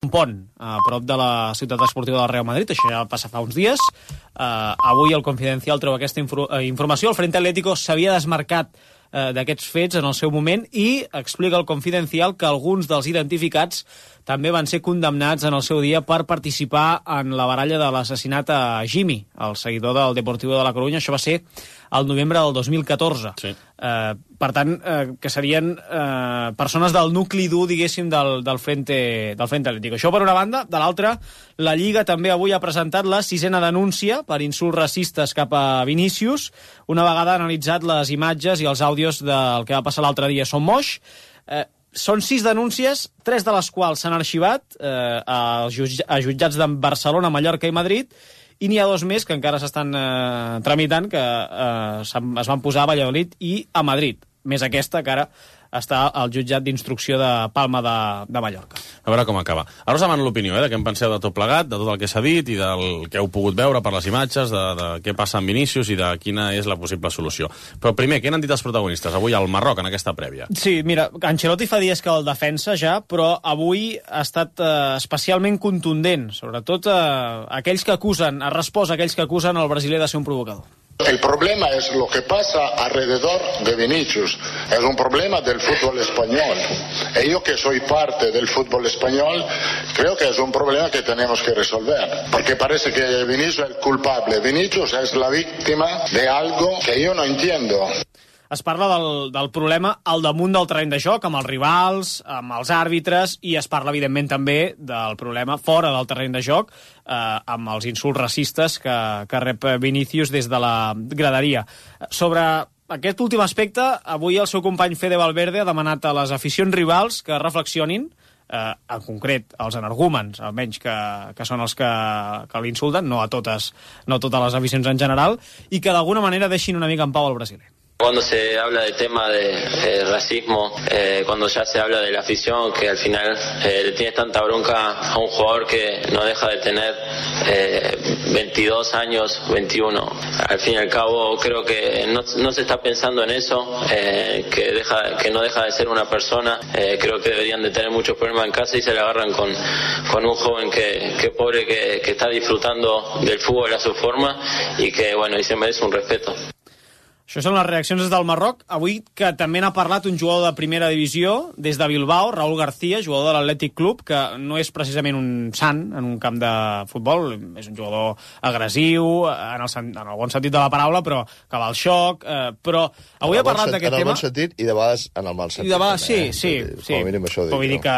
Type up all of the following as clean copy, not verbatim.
un pont a prop de la ciutat esportiva del Real Madrid, això ja va passar fa uns dies. Avui el Confidencial treu aquesta informació. El Frente Atlético s'havia desmarcat d'aquests fets en el seu moment i explica el Confidencial que alguns dels identificats també van ser condemnats en el seu dia per participar en la baralla de l'assassinat a Jimmy, el seguidor del Deportivo de la Coruña. Això va ser el novembre del 2014. Sí. Per tant, que serien persones del nucli dur, diguéssim, del Frente Atlético. Això per una banda. De l'altra, la Lliga també avui ha presentat la 6ª denúncia per insults racistes cap a Vinícius, una vegada analitzat les imatges i els àudios del que va passar l'altre dia a Son Moix. Són 6 denúncies, 3 de les quals s'han arxivat a jutjats de Barcelona, Mallorca i Madrid, i n'hi ha 2 més que encara s'estan tramitant, que es van posar a Valladolid i a Madrid. Més aquesta, que ara està al jutjat d'instrucció de Palma de Mallorca. A veure com acaba. Ara us demano l'opinió, de què en penseu de tot plegat, de tot el que s'ha dit i del que heu pogut veure per les imatges, de què passa amb Vinícius i de quina és la possible solució. Però primer, què n'han dit els protagonistes avui al Marroc, en aquesta prèvia? Sí, mira, Ancelotti fa dies que el defensa ja, però avui ha estat especialment contundent, sobretot aquells que acusen, ha respost a aquells que acusen el brasiler de ser un provocador. El problema es lo que pasa alrededor de Vinicius. Es un problema del fútbol español. Y yo que soy parte del fútbol español, creo que es un problema que tenemos que resolver. Porque parece que Vinicius es el culpable. Vinicius es la víctima de algo que yo no entiendo. Es parla del problema al damunt del terreny de joc, amb els rivals, amb els àrbitres, i es parla, evidentment, també del problema fora del terreny de joc, amb els insults racistes que rep Vinícius des de la graderia. Sobre aquest últim aspecte, avui el seu company Fede Valverde ha demanat a les aficions rivals que reflexionin, en concret als energúmens, almenys que són els que l'insulten, no a totes les aficions en general, i que d'alguna manera deixin una mica en pau al brasiler. Cuando se habla del tema de racismo, cuando ya se habla de la afición, que al final le tiene tanta bronca a un jugador que no deja de tener 22 años, 21. Al fin y al cabo creo que no se está pensando en eso, que no deja de ser una persona. Creo que deberían de tener muchos problemas en casa y se le agarran con un joven que pobre, que está disfrutando del fútbol a su forma y que bueno, y se merece un respeto. Això són les reaccions des del Marroc. Avui que també n'ha parlat un jugador de primera divisió des de Bilbao, Raúl García, jugador de l'Atlètic Club, que no és precisament un sant en un camp de futbol, és un jugador agressiu, en el bon sentit de la paraula, però que va al xoc, però avui ha parlat d'aquest tema... En el bon sentit i de vegades en el mal sentit. I de vegades, sí. Com a mínim això dic. Vull dir que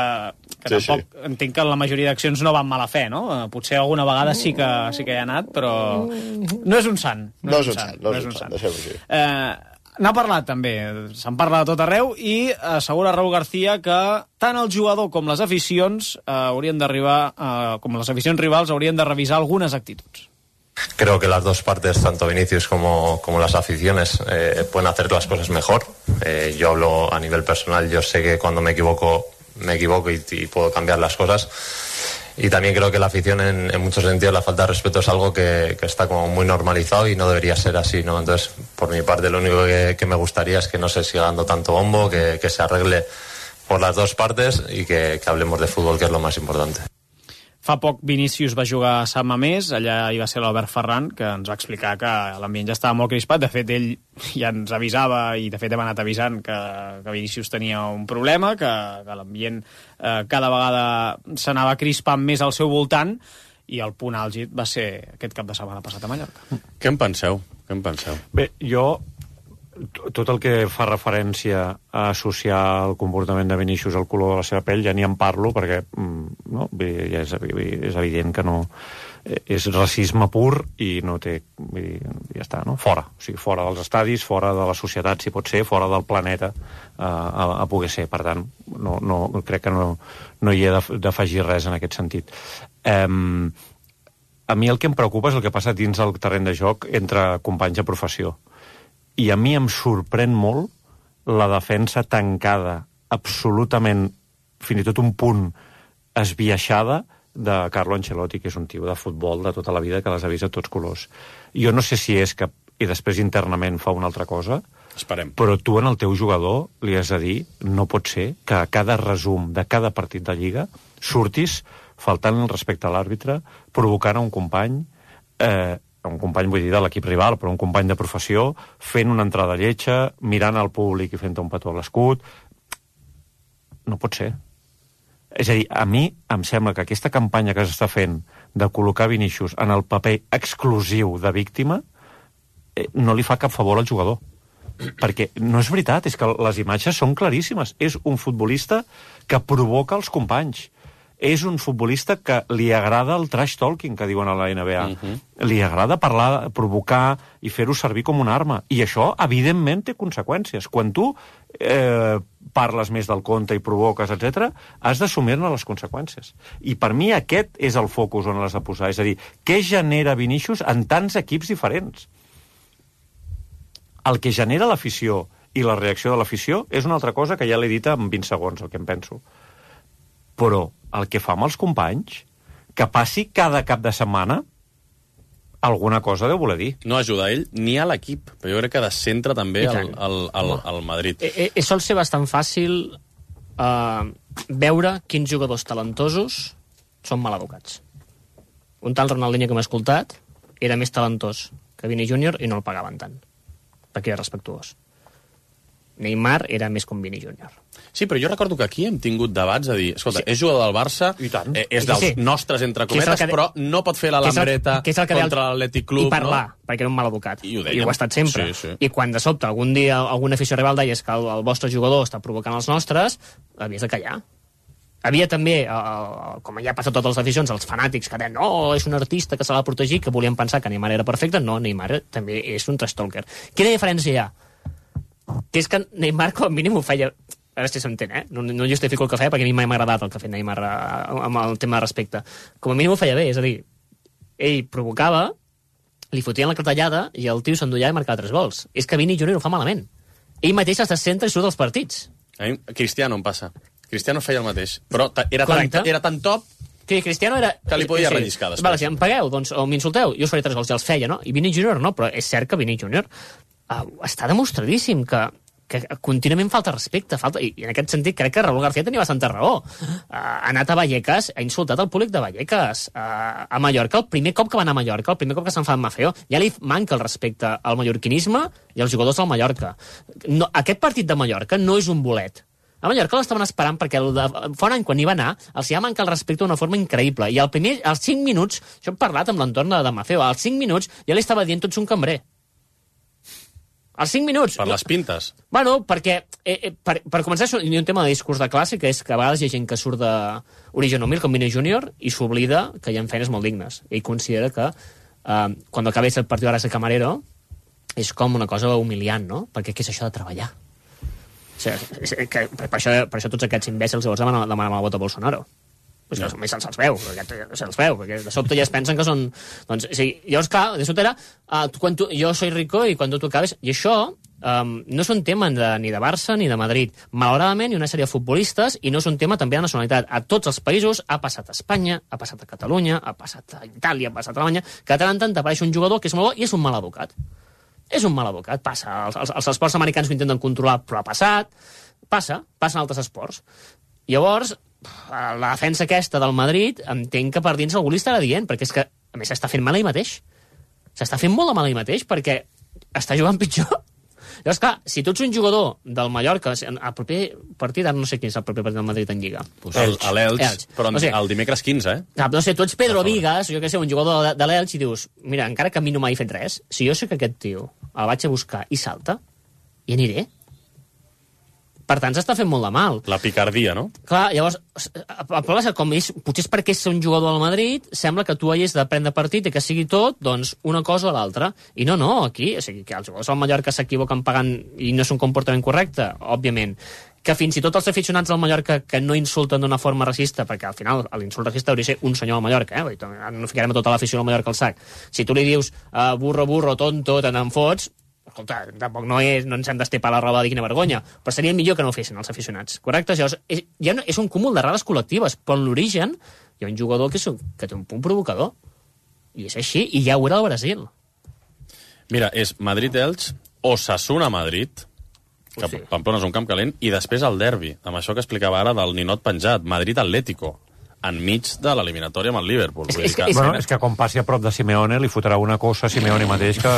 tampoc entenc que la majoria d'accions no van mala fe, no? Potser alguna vegada sí que hi ha anat, però no és un sant. No és un sant, deixem-ho així. N'ha parlat també, se'n parla de tot arreu, i assegura Raúl García que tant el jugador com les aficions haurien d'arribar, com les aficions rivals haurien de revisar algunes actituds. Creo que las dos partes, tanto Vinicius como las aficiones, pueden hacer las cosas mejor. Yo hablo a nivel personal, yo sé que cuando me equivoco y puedo cambiar las cosas. Y también creo que la afición en muchos sentidos, la falta de respeto es algo que está como muy normalizado y no debería ser así, ¿no? Entonces, por mi parte, lo único que me gustaría es que no se siga dando tanto bombo, que se arregle por las dos partes y que hablemos de fútbol, que es lo más importante. Fa poc Vinícius va jugar a Sant Mamés, allà hi va ser l'Albert Ferran, que ens va explicar que l'ambient ja estava molt crispat. De fet, ell ja ens avisava, i de fet hem anat avisant, que Vinícius tenia un problema, que l'ambient cada vegada s'anava crispant més al seu voltant, i el punt àlgid va ser aquest cap de setmana passat a Mallorca. Què en penseu? Bé, jo tot el que fa referència a associar el comportament de Vinícius al color de la seva pell ja ni en parlo, perquè no, ja és evident que no és racisme pur i no té, ja està, no? Fora, o sigui, fora dels estadis, fora de la societat, si pot ser, fora del planeta a poder ser. Per tant, crec que no hi he d'afegir res en aquest sentit. A mi el que em preocupa és el que passa dins el terreny de joc entre companys de professió. I a mi em sorprèn molt la defensa tancada, absolutament, fins i tot un punt esbiaixada, de Carlo Ancelotti, que és un tio de futbol de tota la vida, que les ha vist a tots colors. Jo no sé si és que i després internament fa una altra cosa, esperem, però tu en el teu jugador li has de dir, no pot ser que a cada resum de cada partit de Lliga surtis faltant el respecte a l'àrbitre, provocant a un company, vull dir de l'equip rival, però un company de professió, fent una entrada lletja, mirant al públic i fent un petó a l'escut. No pot ser. És a dir, a mi em sembla que aquesta campanya que s'està fent de col·locar Vinícius en el paper exclusiu de víctima no li fa cap favor al jugador. Perquè no és veritat, és que les imatges són claríssimes. És un futbolista que provoca els companys. És un futbolista que li agrada el trash talking, que diuen a la NBA. Li agrada parlar, provocar i fer-ho servir com una arma. I això, evidentment, té conseqüències. Quan tu parles més del compte i provoques, etc., has d'assumir-ne les conseqüències. I per mi aquest és el focus on l'has de posar. És a dir, què genera Vinícius en tants equips diferents? El que genera l'afició i la reacció de l'afició és una altra cosa que ja l'he dit en 20 segons, el que em penso. Però el que fa amb els companys, que passi cada cap de setmana, alguna cosa deu voler dir. No ajuda a ell ni a l'equip, però jo crec que descentra també el Madrid. Sol ser bastant fàcil veure quins jugadors talentosos són mal educats. Un tal Ronaldinho que m'ha escoltat era més talentós que Vini Júnior i no el pagaven tant, perquè era respectuós. Neymar era més com Vini Júnior. Sí, però jo recordo que aquí hem tingut debats a dir, escolta, és jugador del Barça, és dels nostres, entre cometes, però no pot fer la lambreta contra l'Atlètic Club. I parlar, perquè era un mal educat. I ho ha estat sempre. I quan de sobte algun dia algun afició rival deia que el vostre jugador està provocant els nostres, havies de callar. Havia també, com ja ha passat a totes les aficions, els fanàtics que deien no, és un artista que se l'ha de protegir, que volien pensar que Neymar era perfecte. No, Neymar també és un trash talker. Quina diferència hi ha? Que és que Neymar com a mínim ho feia... A veure si s'entén, no justifico el que feia, perquè a mi mai m'ha agradat el que ha fet Neymar amb el tema de respecte. Com a mínim ho feia bé, és a dir, ell provocava, li fotien la cartellada i el tio s'endullava i marcava 3 gols. És que Vini Júnior ho fa malament. Ell mateix es descentra i surt dels partits. A mi Cristiano em passa. Cristiano feia el mateix, però era tan top que Cristiano era... que li podia relliscar després. Vale, si em pagueu, doncs, o m'insulteu, jo us faré 3 gols, ja els feia, no? I Vini Júnior no, però és cert que Vini Júnior està demostradíssim que contínuament falta respecte, i en aquest sentit crec que Raúl García tenia bastanta raó. Ha anat a Vallecas, ha insultat el públic de Vallecas. A Mallorca, el primer cop que va anar a Mallorca, el primer cop que s'enfada amb Mafeo, ja li manca el respecte al mallorquinisme i als jugadors del Mallorca. No, aquest partit de Mallorca no és un bolet. A Mallorca l'estaven esperant perquè fa un any quan hi va anar els hi va mancar el respecte d'una forma increïble. I als 5 minuts, això hem parlat amb l'entorn de Mafeo, als 5 minuts ja li estava dient tots un cambrer. Als 5 minuts... Per les pintes. Bueno, perquè, per començar, hi ha un tema de discurs de classe, que és que a vegades hi ha gent que surt d'origen humil, com Vini Júnior, i s'oblida que hi ha feines molt dignes. Ell considera que quan acabés el partit de ser camarero és com una cosa humiliant, no? Perquè què és això de treballar? O sigui, per això tots aquests imbècils llavors demanen el vot a Bolsonaro. Pues que només se'ls veu, perquè de sobte ja es pensen que són... Doncs, sí, llavors, clar, de sobte era jo soy rico i quan tu acabes... I això no és un tema ni de Barça ni de Madrid. Malauradament, hi ha una sèrie de futbolistes i no és un tema també de nacionalitat. A tots els països ha passat a Espanya, ha passat a Catalunya, ha passat a Itàlia, ha passat a Alemanya, que de tant en tant apareix un jugador que és molt bo i és un mal educat. És un mal educat, passa. Els esports americans ho intenten controlar, però ha passat. Passa en altres esports. Llavors, la defensa aquesta del Madrid, entenc que per dins algú li estarà dient, perquè és que, a més, s'està fent mal ell mateix. S'està fent molt de mal ell mateix, perquè està jugant pitjor. Llavors, clar, si tu ets un jugador del Mallorca, el proper partit, ara no sé quin és el proper partit del Madrid en Lliga. A l'Elx, però el dimecres 15, No sé, tu ets Pedro Vigas, jo què sé, un jugador de l'Elx, i dius, mira, encara que a mi no m'hagi fet res, si jo sé que aquest tio el vaig a buscar i salta, hi aniré. Per tant, s'està fent molt de mal. La picardia, no? Clar, llavors, el problema és que com potser és perquè és un jugador del Madrid, sembla que tu hagis de prendre partit i que sigui tot, doncs, una cosa o l'altra. I no, aquí, o sigui, que els jugadors del Mallorca s'equivoquen pagant i no és un comportament correcte, òbviament. Que fins i tot els aficionats del Mallorca que no insulten d'una forma racista, perquè al final l'insult racista hauria de ser un senyor del Mallorca, no ficarem a tota l'afició del Mallorca al sac. Si tu li dius burro, tonto, te n'en fots, escolta, tampoc no ens hem d'estepar la roba de quina vergonya, però seria millor que no ho fessin els aficionats, correcte? Llavors, ja no, és un cúmul d'errades col·lectives, però en l'origen hi ha un jugador que té un punt provocador, i és així, i ja ho era al Brasil. Mira, és Madrid-Elx, Osasuna-Madrid, que Pamplona és un camp calent, i després el derbi, amb això que explicava ara del ninot penjat, Madrid-Atlético. enmig de l'eliminatòria amb el Liverpool. És que quan passi a prop de Simeone li fotrà una cosa a Simeone mateix que...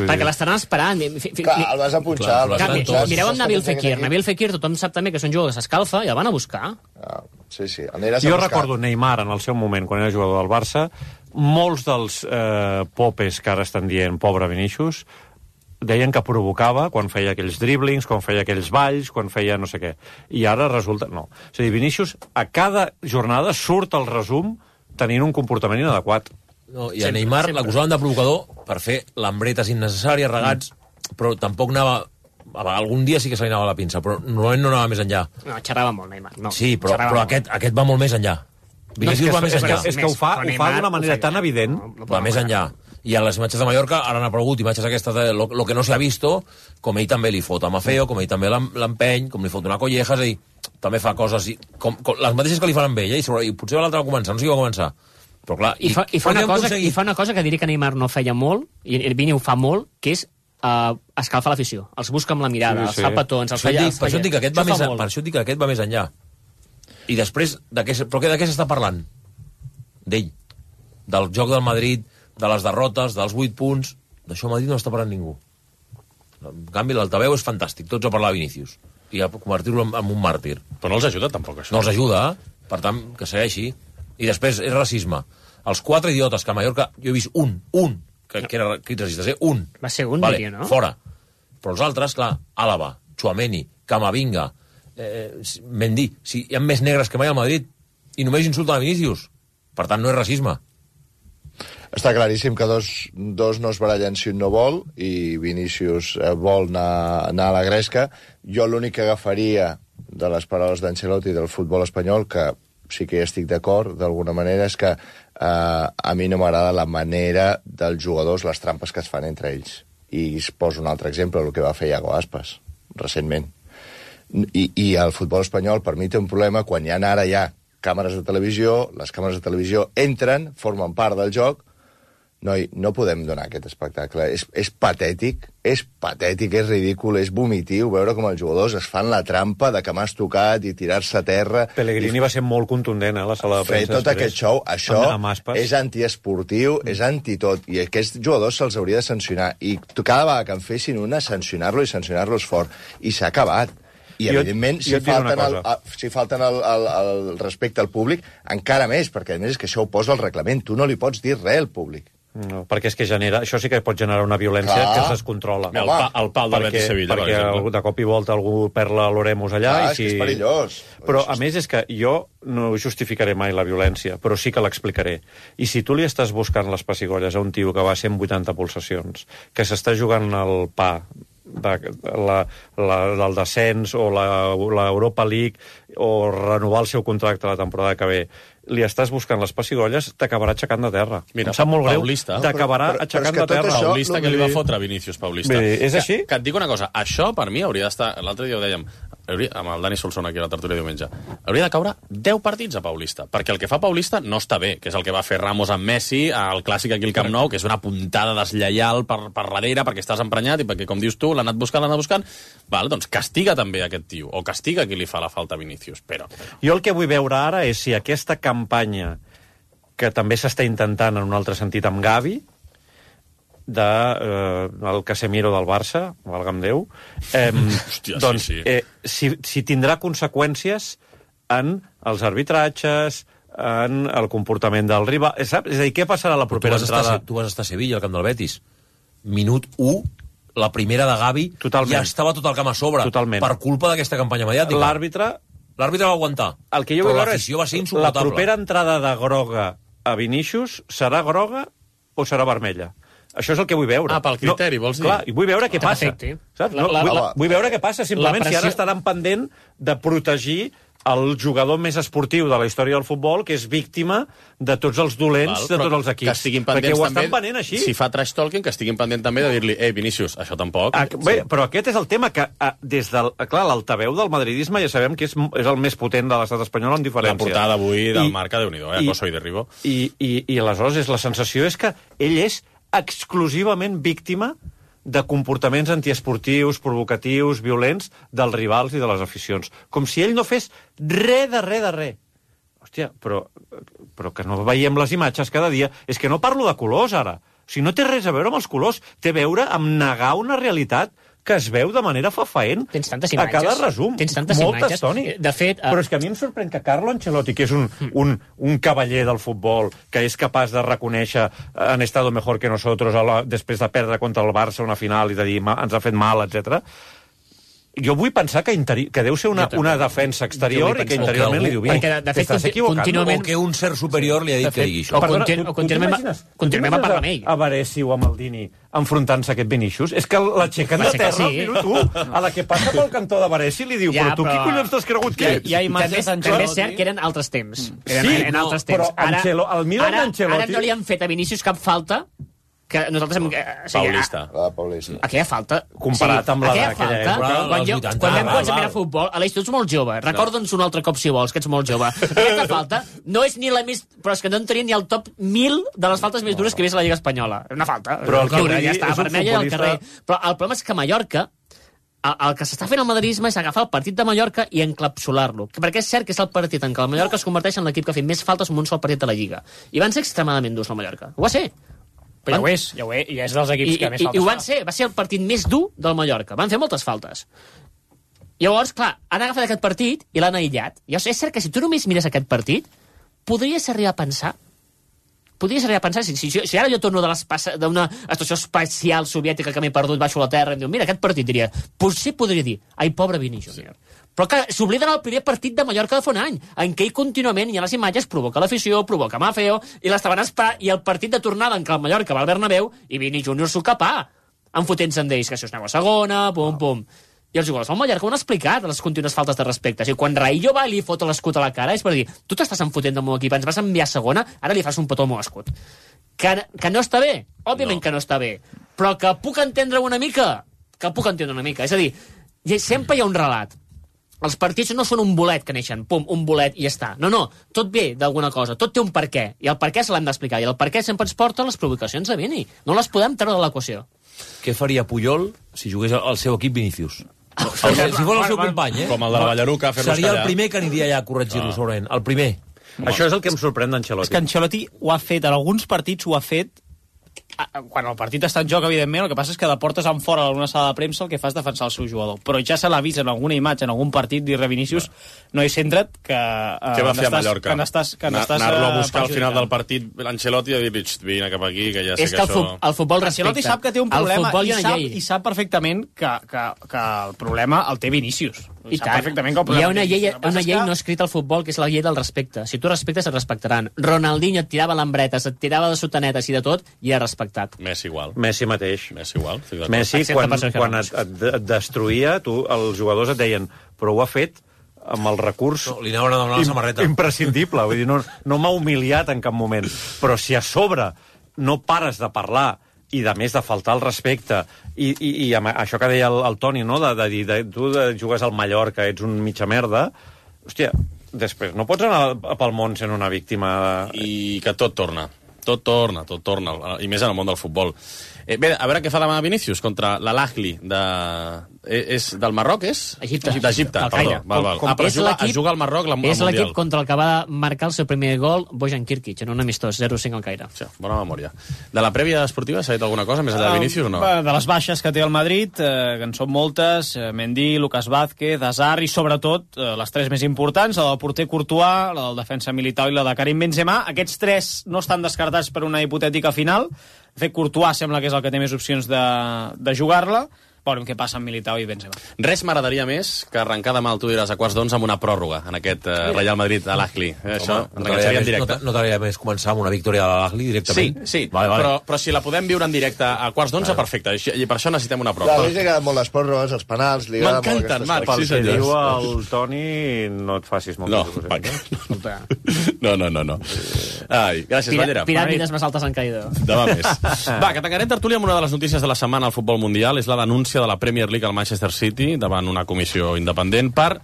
Perquè l'estaran esperant. Clar, el vas a punxar. Mireu amb Nabil Fekir. Nabil Fekir, tothom sap també que és un jugador que s'escalfa i el van a buscar. Sí. Jo recordo Neymar en el seu moment, quan era jugador del Barça, molts dels popes que ara estan dient pobre Vinícius deien que provocava quan feia aquells driblings, quan feia aquells balls, quan feia no sé què. I ara resulta... No. És a dir, Vinícius a cada jornada surt al resum tenint un comportament inadequat. No, i a Neymar l'acusaven de provocador per fer lambretes innecessàries, regats, però tampoc anava... Algun dia sí que se li anava la pinça, però normalment no anava més enllà. No, xerrava molt, Neymar. No, sí, però aquest va molt més enllà. Vinícius va més enllà. És que ho fa d'una manera tan evident. Va més enllà. I a les imatges de Mallorca ara han aparegut imatges aquestes de lo que no s'ha visto, com ell també li fot a Mafeo, com ell també l'empeny, com li fot una colleja, és a dir, també fa coses com les mateixes que li fan amb ell, i potser l'altre va començar, no sé qui va començar. Però clar, I fa una cosa que diria que Neymar no feia molt, i Vini ho fa molt, que és escalfar l'afició. Els busca amb la mirada, els fa petons, els feia... Per això dic que aquest va més enllà. I després, però de què s'està parlant? D'ell. Del joc del Madrid, de les derrotes, dels 8 punts... D'això a Madrid no està parlant ningú. En canvi, l'altaveu és fantàstic. Tots a parlar de Vinícius. I a convertir-lo en un màrtir. Però no els ajuda tampoc, això. No els ajuda, per tant, que segueixi. I després és racisme. Els 4 idiotes que a Mallorca... Jo he vist un, que era crits racistes, un. Va ser un, vale, diria, no? Fora. Però els altres, clar, Àlava, Tchouaméni, Camavinga, Mendy... Si hi ha més negres que mai al Madrid i només insulten a Vinícius. Per tant, no és racisme. Està claríssim que dos no es barallen si un no vol, i Vinícius vol anar a la gresca. Jo l'únic que agafaria de les paraules d'Ancelotti del futbol espanyol, que sí que hi estic d'acord d'alguna manera, és que a mi no m'agrada la manera dels jugadors, les trampes que es fan entre ells. I es poso un altre exemple, el que va fer Iago Aspas, recentment. I el futbol espanyol, per mi, té un problema quan ara hi ha càmeres de televisió, les càmeres de televisió entren, formen part del joc. Noi, no podem donar aquest espectacle. És patètic, és ridícul, és vomitiu veure com els jugadors es fan la trampa de que m'has tocat i tirar-se a terra. Pellegrini va ser molt contundent, a la sala de premsa. Fer tot aquest show, això és antiesportiu, és antitot, i aquests jugadors se'ls hauria de sancionar. I cada vegada que en fessin una, sancionar-lo i sancionar-los fort. I s'ha acabat. I, evidentment, si falten el respecte al públic, encara més, perquè a més és que això ho posa al reglament. Tu no li pots dir res al públic. No, perquè és que això sí que pot generar una violència que es descontrola. El pal de Betis Sevilla, per exemple. Perquè de cop i volta algú perd l'Oremus allà. És que és perillós. Però, a més, és que jo no justificaré mai la violència, però sí que l'explicaré. I si tu li estàs buscant les pessigolles a un tio que va a 180 pulsacions, que s'està jugant el pa del descens o l'Europa League o renovar el seu contracte la temporada que ve, li estàs buscant les pessigolles, t'acabarà aixecant de terra. Mira, em sap molt greu, Paulista. t'acabarà aixecant de terra. Això, Paulista que li va fotre a Vinícius Paulista. És així? Que et dic una cosa, això per mi hauria d'estar... L'altre dia ho dèiem, amb el Dani Solsona aquí a la tertúlia diumenge, hauria de caure 10 partits a Paulista, perquè el que fa Paulista no està bé, que és el que va fer Ramos amb Messi, el clàssic aquí al Camp Nou, que és una puntada deslleial per darrere, perquè estàs emprenyat i perquè, com dius tu, l'ha anat buscant. Val, doncs castiga també aquest tio, o castiga qui li fa la falta a Vinícius. Però... Jo el que vull veure ara és si aquesta campanya, que també s'està intentant en un altre sentit amb Gavi, el Casemiro del Barça, valga'm Déu, hòstia, doncs, sí. Si tindrà conseqüències en els arbitratges, en el comportament del rival. Saps? És a dir, què passarà a la propera entrada? Tu vas estar a Sevilla, al camp del Betis. Minut 1, la primera de Gavi, ja estava tot el camp a sobre. Totalment. Per culpa d'aquesta campanya mediàtica. L'àrbitre va aguantar. El que jo vull veure és va ser insuportable. La propera entrada de groga a Vinícius serà groga o serà vermella? Això és el que vull veure. Pel criteri, vols dir? Clar, i vull veure què passa. Saps? Vull veure què passa, simplement, si ara estaran pendent de protegir el jugador més esportiu de la història del futbol, que és víctima de tots els dolents de tots els equips. Que estiguin pendents perquè ho també, estan venent així. Si fa trash talking, que estiguin pendent també de dir-li Vinícius, això tampoc. Bé, però aquest és el tema que, des del... Clar, l'altaveu del madridisme ja sabem que és el més potent de l'estat espanyol en diferència. La portada d'avui del Marca, Déu-n'hi-do, Coso i Derribo. I aleshores la sensació és que ell és exclusivament víctima de comportaments antiesportius, provocatius, violents dels rivals i de les aficions. Com si ell no fes res de res. Hòstia, però que no veiem les imatges cada dia. És que no parlo de colors, ara. O sigui, no té res a veure amb els colors. Té a veure amb negar una realitat que es veu de manera fafaent Tens tantes imatges. a cada resum. Tens tantes Moltes, imatges. Toni. De fet... Però és que a mi em sorprèn que Carlo Ancelotti, que és un cavaller del futbol, que és capaç de reconèixer han estado mejor que nosotros després de perdre contra el Barça una final i de dir ens ha fet mal, etc. Jo vull pensar que deu ser una defensa exterior i que interiorment li diu bien. Perquè, de fet, t'estàs equivocant. contínuament- O que un cert superior li ha dit que digui això. Continuem a parlar amb ell. A Baresi o a Maldini enfrontant-se a aquest Vinícius? És que l'aixequen de Va ser que terra sí. al minut 1. A la que passa pel cantó de Baresi li diu, Ja, però tu qui però- collons t'has cregut que ets? Hi ha imatges També és cert que eren altres temps. Sí, altres però temps. el Milan d'Ancelotti- Ara no li han fet a Vinícius cap falta que nosaltres... Paulista. Paulista. Aquella falta... Comparat amb la aquella d'aquella falta, època, quan dels 80, vam val, començar a val. mirar futbol, a tu ets molt jove, recorda'ns un altre cop si vols, que ets molt jove. Aquesta falta no és ni la més... Però és que no entraria ni al top 1000 de les faltes més dures que hi ha a la Lliga Espanyola. Una falta. Però el que Dura, vull dir ja està, és un vermella al futbolista- carrer. Però el problema és que a Mallorca el que s'està fent al madridisme és agafar el partit de Mallorca i encapsular-lo. Perquè és cert que és el partit en què el Mallorca es converteix en l'equip que ha fet més faltes en un sol partit de la Lliga. I van ser extremadament durs, el Mallorca. Ho va ser. Però ja ho és, i és dels equips que més I faltes ho van fa. ser, va ser el partit més dur del Mallorca. Van fer moltes faltes. Llavors, clar, han agafat aquest partit i l'han aïllat. I és cert que si tu només mires aquest partit, podries arribar a pensar si ara jo torno d'una estació espacial soviètica que m'he perdut, baixo a la terra, i em diu, mira, aquest partit, diria, potser podria dir, ai, pobre Vini Júnior. Però que s'obliden el primer partit de Mallorca de fa un any, en què ell contínuament hi ha les imatges, provoca l'afició, provoca Mafeo, i l'estaven esperant, i el partit de tornada en què el Mallorca va al Bernabéu, i Vini Júnior s'ho capà, enfotent-se en d'ells, que si us aneu a segona, pum, pum. I els jugadors del Mallorca ho han explicat, les contínues faltes de respecte. O sigui, quan Raillo va i li fot l'escut a la cara, és per dir, tu t'estàs enfotent del meu equip, ens vas enviar a segona, ara li fas un petó al meu escut. Que no està bé? Òbviament que no està bé. Però que puc entendre una mica? Que puc entendre una mica. És a dir, sempre hi ha un relat. Els partits no són un bolet que neixen, pum, un bolet i ja està. No, tot ve d'alguna cosa, tot té un per què, i el per què se l'hem d'explicar, i el per què sempre ens porta les provocacions de Vini. No les podem treure de l'equació. Què faria Puyol si jugués al seu equip Vinícius? Si fos el seu company, Com el de la Ballaruca, fer-los seria el callar. primer que aniria allà a corregir-lo, segurament. El primer. Això és el que em sorprèn És d'Ancelotti. que Ancelotti ho ha fet, en alguns partits ho ha fet, quan el partit està en joc, evidentment, el que passa és que de portes en fora a alguna sala de premsa el que fa és defensar el seu jugador. Però ja se l'ha vist en alguna imatge, en algun partit, dir-re Vinícius, no hi centra't, que... Què va fer a Mallorca? Anar-lo a buscar al final del partit l'Ancelotti i dir, vine cap aquí, que ja sé És que que això... el futbol Ancelotti respecta. sap que té un problema i i sap perfectament que el problema el té Vinícius. I Sap tant. perfectament que el Hi problema ha una el té llei, Vinícius. El que passa és que- no escrita al futbol, que és la llei del respecte. Si tu respectes, et respectaran. Ronaldinho et tirava l'embretes, et tirava de sotanetes i de tot, i era respectat. Messi igual. Messi mateix. Messi igual. estic d'acord. Messi, Excepte quan per Sergio quan Ramos. et destruïa, els jugadors et deien, però ho ha fet amb el recurs No, li anaven a demanar la samarreta. imprescindible. Vull dir, no m'ha humiliat en cap moment. Però si a sobre no pares de parlar i de més de faltar el respecte i amb això que deia el Toni, no? de dir, tu jugues al Mallorca, ets un mitja merda, hòstia, després no pots anar pel món sent una víctima I que tot torna. Tot torna, i més en el món del futbol. Bé, a veure què fa demà Vinícius contra l'Al-Ahly és del Marroc, és? Egipte. D'Egipte, Del perdó. Caire. Val. Com Però és l'equip- es juga al Marroc al És Mundial. l'equip contra el que va marcar el seu primer gol Bojan Kirkic, en un amistós, 0-5 al Caire. Sí, bona memòria. De la prèvia esportiva s'ha dit alguna cosa més enllà de Vinícius o no? De les baixes que té el Madrid, que en són moltes, Mendy, Lucas Vázquez, Hazard i sobretot les tres més importants, la del porter Courtois, la del defensa Militao i la de Karim Benzema. Aquests tres no estan descartats per una hipotètica final. De fet, Courtois sembla que és el que té més opcions de jugar-la. Veurem què passa amb Militao i Benzema. Res m'agradaria més que arrencar demà al Tu diràs a quarts d'11 amb una pròrroga en aquest Real Madrid a l'Ahly. Això ens enganxaria en directe. No t'agradaria més començar amb una victòria de l'Ahly Sí, directament? sí, Vale. però si la podem viure en directe a quarts d'11, perfecte. I per això necessitem una Clar, a pròrroga. ell li agraden molt les pròrrogues, els penals, li agraden molt M'encanten, aquestes Marc, coses. pel sí, que senyors. diu el Toni, no et facis moltes No, il·lusions. no. Ai, gràcies, Ballera. Piràmides més altes han caído. Demà més. Va, que tancarem tertúlia amb una de les notícies de la setmana al futbol mundial. És la denúncia de la Premier League al Manchester City davant una comissió independent per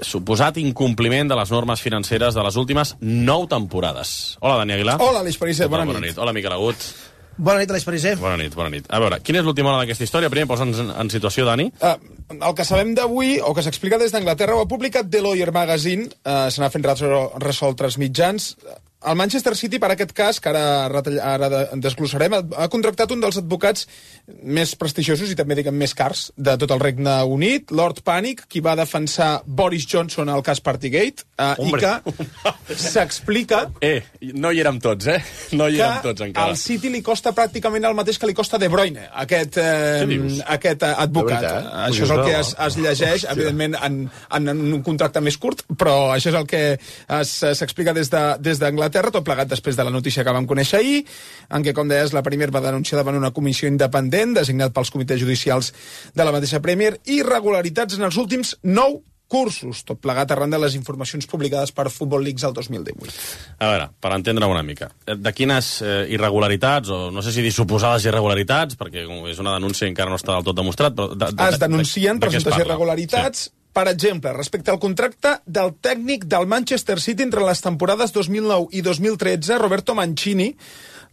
suposat incompliment de les normes financeres de les últimes 9 temporades. Hola, Dani Aguilar. Hola, Aleix Perisset, bona Bona nit. nit. Hola, Miquel Agut. Bona nit, Aleix Pariser. Bona nit. A veure, quina és l'última hora d'aquesta història? Primer, posa'ns en situació, Dani. El que sabem d'avui, o que s'explica des d'Anglaterra, ho ha publicat The Lawyer Magazine, se n'ha fent ressò altres mitjans. El Manchester City, per aquest cas, que ara desglossarem, ha contractat un dels advocats més prestigiosos i també, diguem, més cars de tot el Regne Unit, Lord Panic, qui va defensar Boris Johnson al cas Partygate, i que s'explica... no hi érem tots, No hi érem tots, encara. Al City li costa pràcticament el mateix que li costa De Bruyne, aquest advocat. Això és el que es llegeix, evidentment, en un contracte més curt, però això és el que s'explica des d'Anglaterra, tot plegat després de la notícia que vam conèixer ahir, en què, com deies, la Premier va denunciar davant una comissió independent designat pels comitès judicials de la mateixa Premier irregularitats en els últims 9 cursos, tot plegat arran de les informacions publicades per Football Leagues el 2018. A veure, per entendre una mica, de quines irregularitats, o no sé si dir suposades irregularitats, perquè és una denúncia i encara no està del tot demostrat, però... Es denuncien presumptes irregularitats... Sí. Per exemple, respecte al contracte del tècnic del Manchester City entre les temporades 2009 i 2013, Roberto Mancini,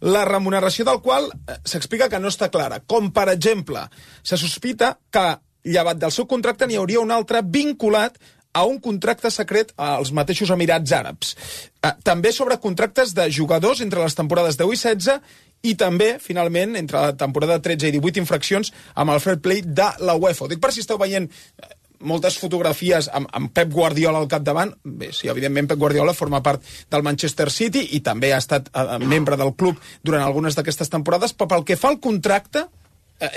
la remuneració del qual s'explica que no està clara. Com, per exemple, se sospita que, llevat del seu contracte, n'hi hauria un altre vinculat a un contracte secret als mateixos Emirats Àrabs. També sobre contractes de jugadors entre les temporades 10 i 16 i també, finalment, entre la temporada 13 i 18 infraccions amb el fair play de la UEFA. Ho dic per si esteu veient moltes fotografies amb Pep Guardiola al capdavant. Bé, sí, evidentment Pep Guardiola forma part del Manchester City i també ha estat membre del club durant algunes d'aquestes temporades, però pel que fa al contracte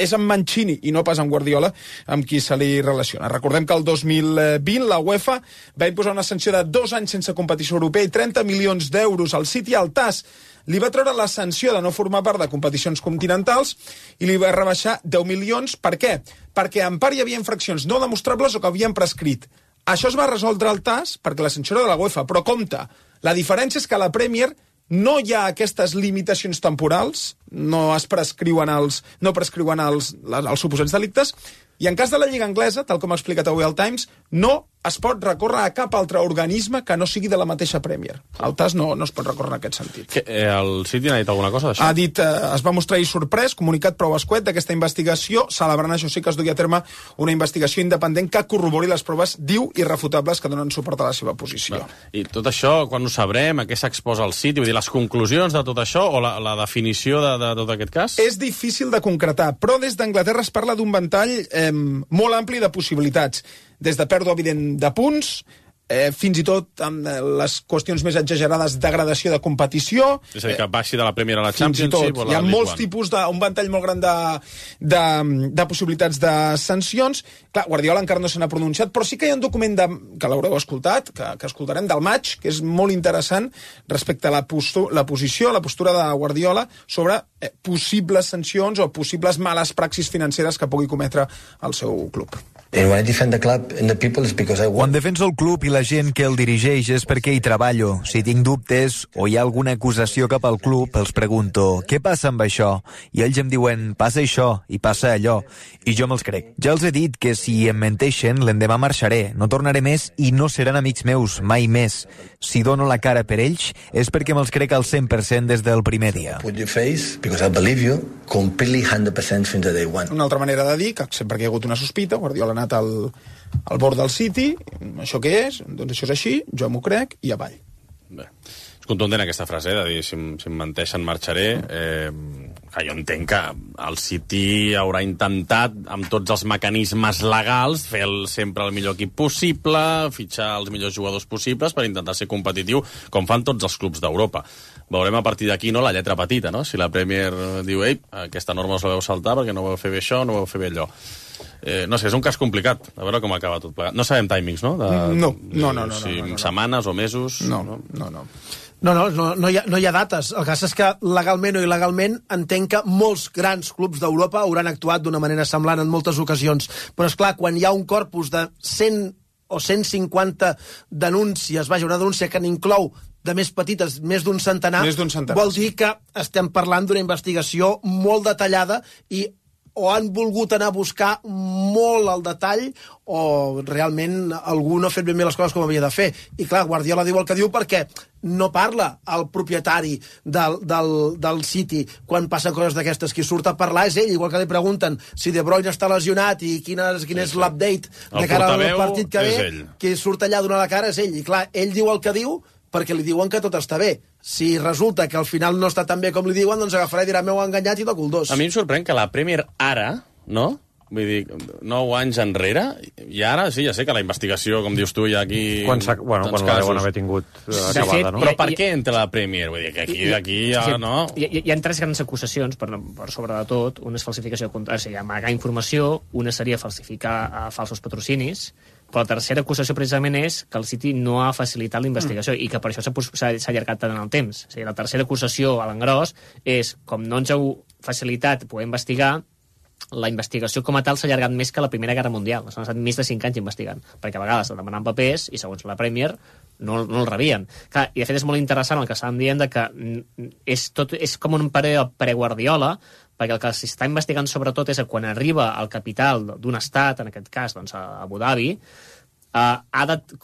és amb Mancini i no pas amb Guardiola amb qui se li relaciona. Recordem que el 2020 la UEFA va imposar una sanció de 2 anys sense competició europea i 30 milions d'euros al City. Al TAS li va treure la sanció de no formar part de competicions continentals i li va rebaixar 10 milions. Per què? Perquè en part hi havia infraccions no demostrables o que havien prescrit. Això es va resoldre al TAS perquè la sanció era de la UEFA, però compte, la diferència és que a la Premier no hi ha aquestes limitacions temporals, no prescriuen els suposats delictes, i en cas de la Lliga Anglesa, tal com ha explicat avui el Times, no es pot recórrer a cap altre organisme que no sigui de la mateixa Premier. El TAS no es pot recórrer en aquest sentit. El City n'ha dit alguna cosa d'això? Ha dit, es va mostrar sorprès, comunicat prou escuet d'aquesta investigació, celebrant això sí que es dugui a terme una investigació independent que corrobori les proves, diu, irrefutables que donen suport a la seva posició. I tot això, quan ho sabrem, a què s'exposa el City? Vull dir, les conclusions de tot això o la definició de tot aquest cas? És difícil de concretar, però des d'Anglaterra es parla d'un ventall molt ampli de possibilitats, des de pèrdua evident de punts, fins i tot amb les qüestions més exagerades de degradació de competició. És a dir, que baixi de la Premier a la Championship. Hi ha molts tipus, un ventall molt gran de possibilitats de sancions. Clar, Guardiola encara no se n'ha pronunciat, però sí que hi ha un document que l'haureu escoltat, que escoltarem del maig, que és molt interessant respecte a la postura de Guardiola sobre possibles sancions o possibles males praxis financeres que pugui cometre el seu club. Quan defenso el club i la gent que el dirigeix és perquè hi treballo. Si tinc dubtes o hi ha alguna acusació cap al club, els pregunto, què passa amb això? I ells em diuen, passa això i passa allò. I jo me'ls crec. Ja els he dit que si em menteixen, l'endemà marxaré. No tornaré més i no seran amics meus, mai més. Si dono la cara per ells, és perquè me'ls crec al 100% des del primer dia. Una altra manera de dir, que sempre que hi ha hagut una sospita, Guardiola ha anat al bord del City, això què és? Doncs això és així, jo m'ho crec, i avall. Bé, és contundent aquesta frase, de dir, si em menteixen marxaré. Jo entenc que el City haurà intentat, amb tots els mecanismes legals, fer sempre el millor equip possible, fitxar els millors jugadors possibles per intentar ser competitiu, com fan tots els clubs d'Europa. Veurem a partir d'aquí, no, la lletra petita, no? Si la Premier diu, aquesta norma us la veu saltar perquè no vau fer bé això, no vau fer bé allò. No sé, és un cas complicat, a veure com acaba tot plegat. No sabem timings, no? No. Setmanes o mesos? No. No hi ha dates. El cas és que legalment o il·legalment entenc que molts grans clubs d'Europa hauran actuat d'una manera semblant en moltes ocasions. Però, és clar, quan hi ha un corpus de 100 o 150 denúncies, una denúncia que n'inclou de més petites, més d'un centenar, vol dir que estem parlant d'una investigació molt detallada i o han volgut anar a buscar molt al detall o realment algú no ha fet ben bé les coses com havia de fer. I clar, Guardiola diu el que diu perquè no parla el propietari del City quan passen coses d'aquestes. Qui surt a parlar és ell, igual que li pregunten si De Bruyne està lesionat i quin és l'update de cara al partit que ve, qui surt allà a donar la cara és ell. I clar, ell diu el que diu perquè li diuen que tot està bé. Si resulta que al final no està tan bé com li diuen, doncs agafarà i dirà m'heu enganyat i toco el dos. A mi em sorprèn que la Premier ara, no?, vull dir, 9 anys enrere, i ara sí, ja sé que la investigació, com dius tu, hi ha aquí... Quan la deuen haver tingut acabada, no? Però per què entra la Premier? Vull dir, que aquí ja, no... Hi ha 3 grans acusacions, per sobre de tot. Una és falsificació, o sigui, amagar informació, una seria falsificar falsos patrocinis, però la tercera acusació precisament és que el City no ha facilitat la investigació i que per això s'ha allargat tant en el temps. O sigui, la tercera acusació a l'engròs és, com no ens heu facilitat poder investigar, la investigació com a tal s'ha allargat més que la Primera Guerra Mundial. S'han estat més de 5 anys investigant, perquè a vegades demanen papers i, segons la Premier, no el rebien. Clar, i de fet és molt interessant el que estàvem dient de que és com un període pre-Guardiola, perquè el que s'està investigant sobretot és que quan arriba el capital d'un estat, en aquest cas doncs, a Abu Dhabi,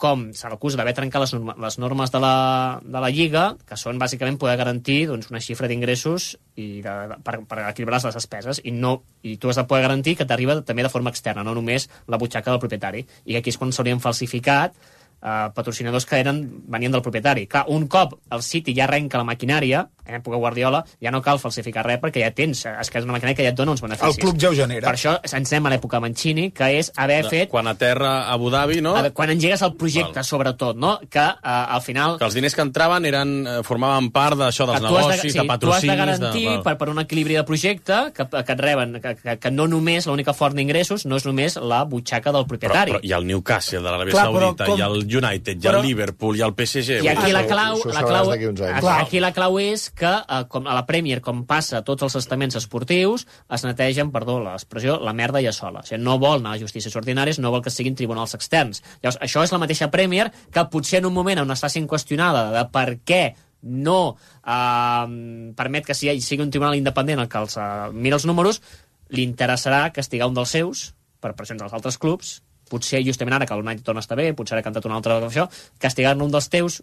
com se l'acusa d'haver trencat les normes de la Lliga, que són bàsicament poder garantir doncs, una xifra d'ingressos per equilibrar les despeses, i tu has de poder garantir que t'arriba també de forma externa, no només la butxaca del propietari, i aquí és quan s'haurien falsificat patrocinadors que venien del propietari. Clar, un cop el City ja arrenca la maquinària, en època Guardiola, ja no cal falsificar res perquè ja tens, és que és una maquinària que ja et dona uns beneficis. El club ja ho genera. Per això ens anem a l'època Mancini, que és haver fet... Quan aterra a Abu Dhabi, no? Quan engegues el projecte, sobretot, no? Que al final... Que els diners que entraven formaven part d'això, dels negocis, de patrocinis... Tu has de garantir, per un equilibri de projecte, que et reben, que no només l'única font d'ingressos no és només la butxaca del propietari. Però hi ha el Newcastle de l'Aràbia Saudita, hi ha el United, hi ha el Liverpool, hi ha el PSG... I aquí la clau és que, com a la Premier, com passa a tots els estaments esportius, es netegen, perdó l'expressió, la merda ja sola. O sigui, no vol anar a justícies ordinàries, no vol que siguin tribunals externs. Llavors, això és la mateixa Premier que potser en un moment on està sent qüestionada de per què no permet que sigui un tribunal independent el que els mira els números, li interessarà castigar un dels seus per pressions dels altres clubs, potser justament ara que el United torna a estar bé, potser ara ha cantat una altra cosa, castigar-ne un dels teus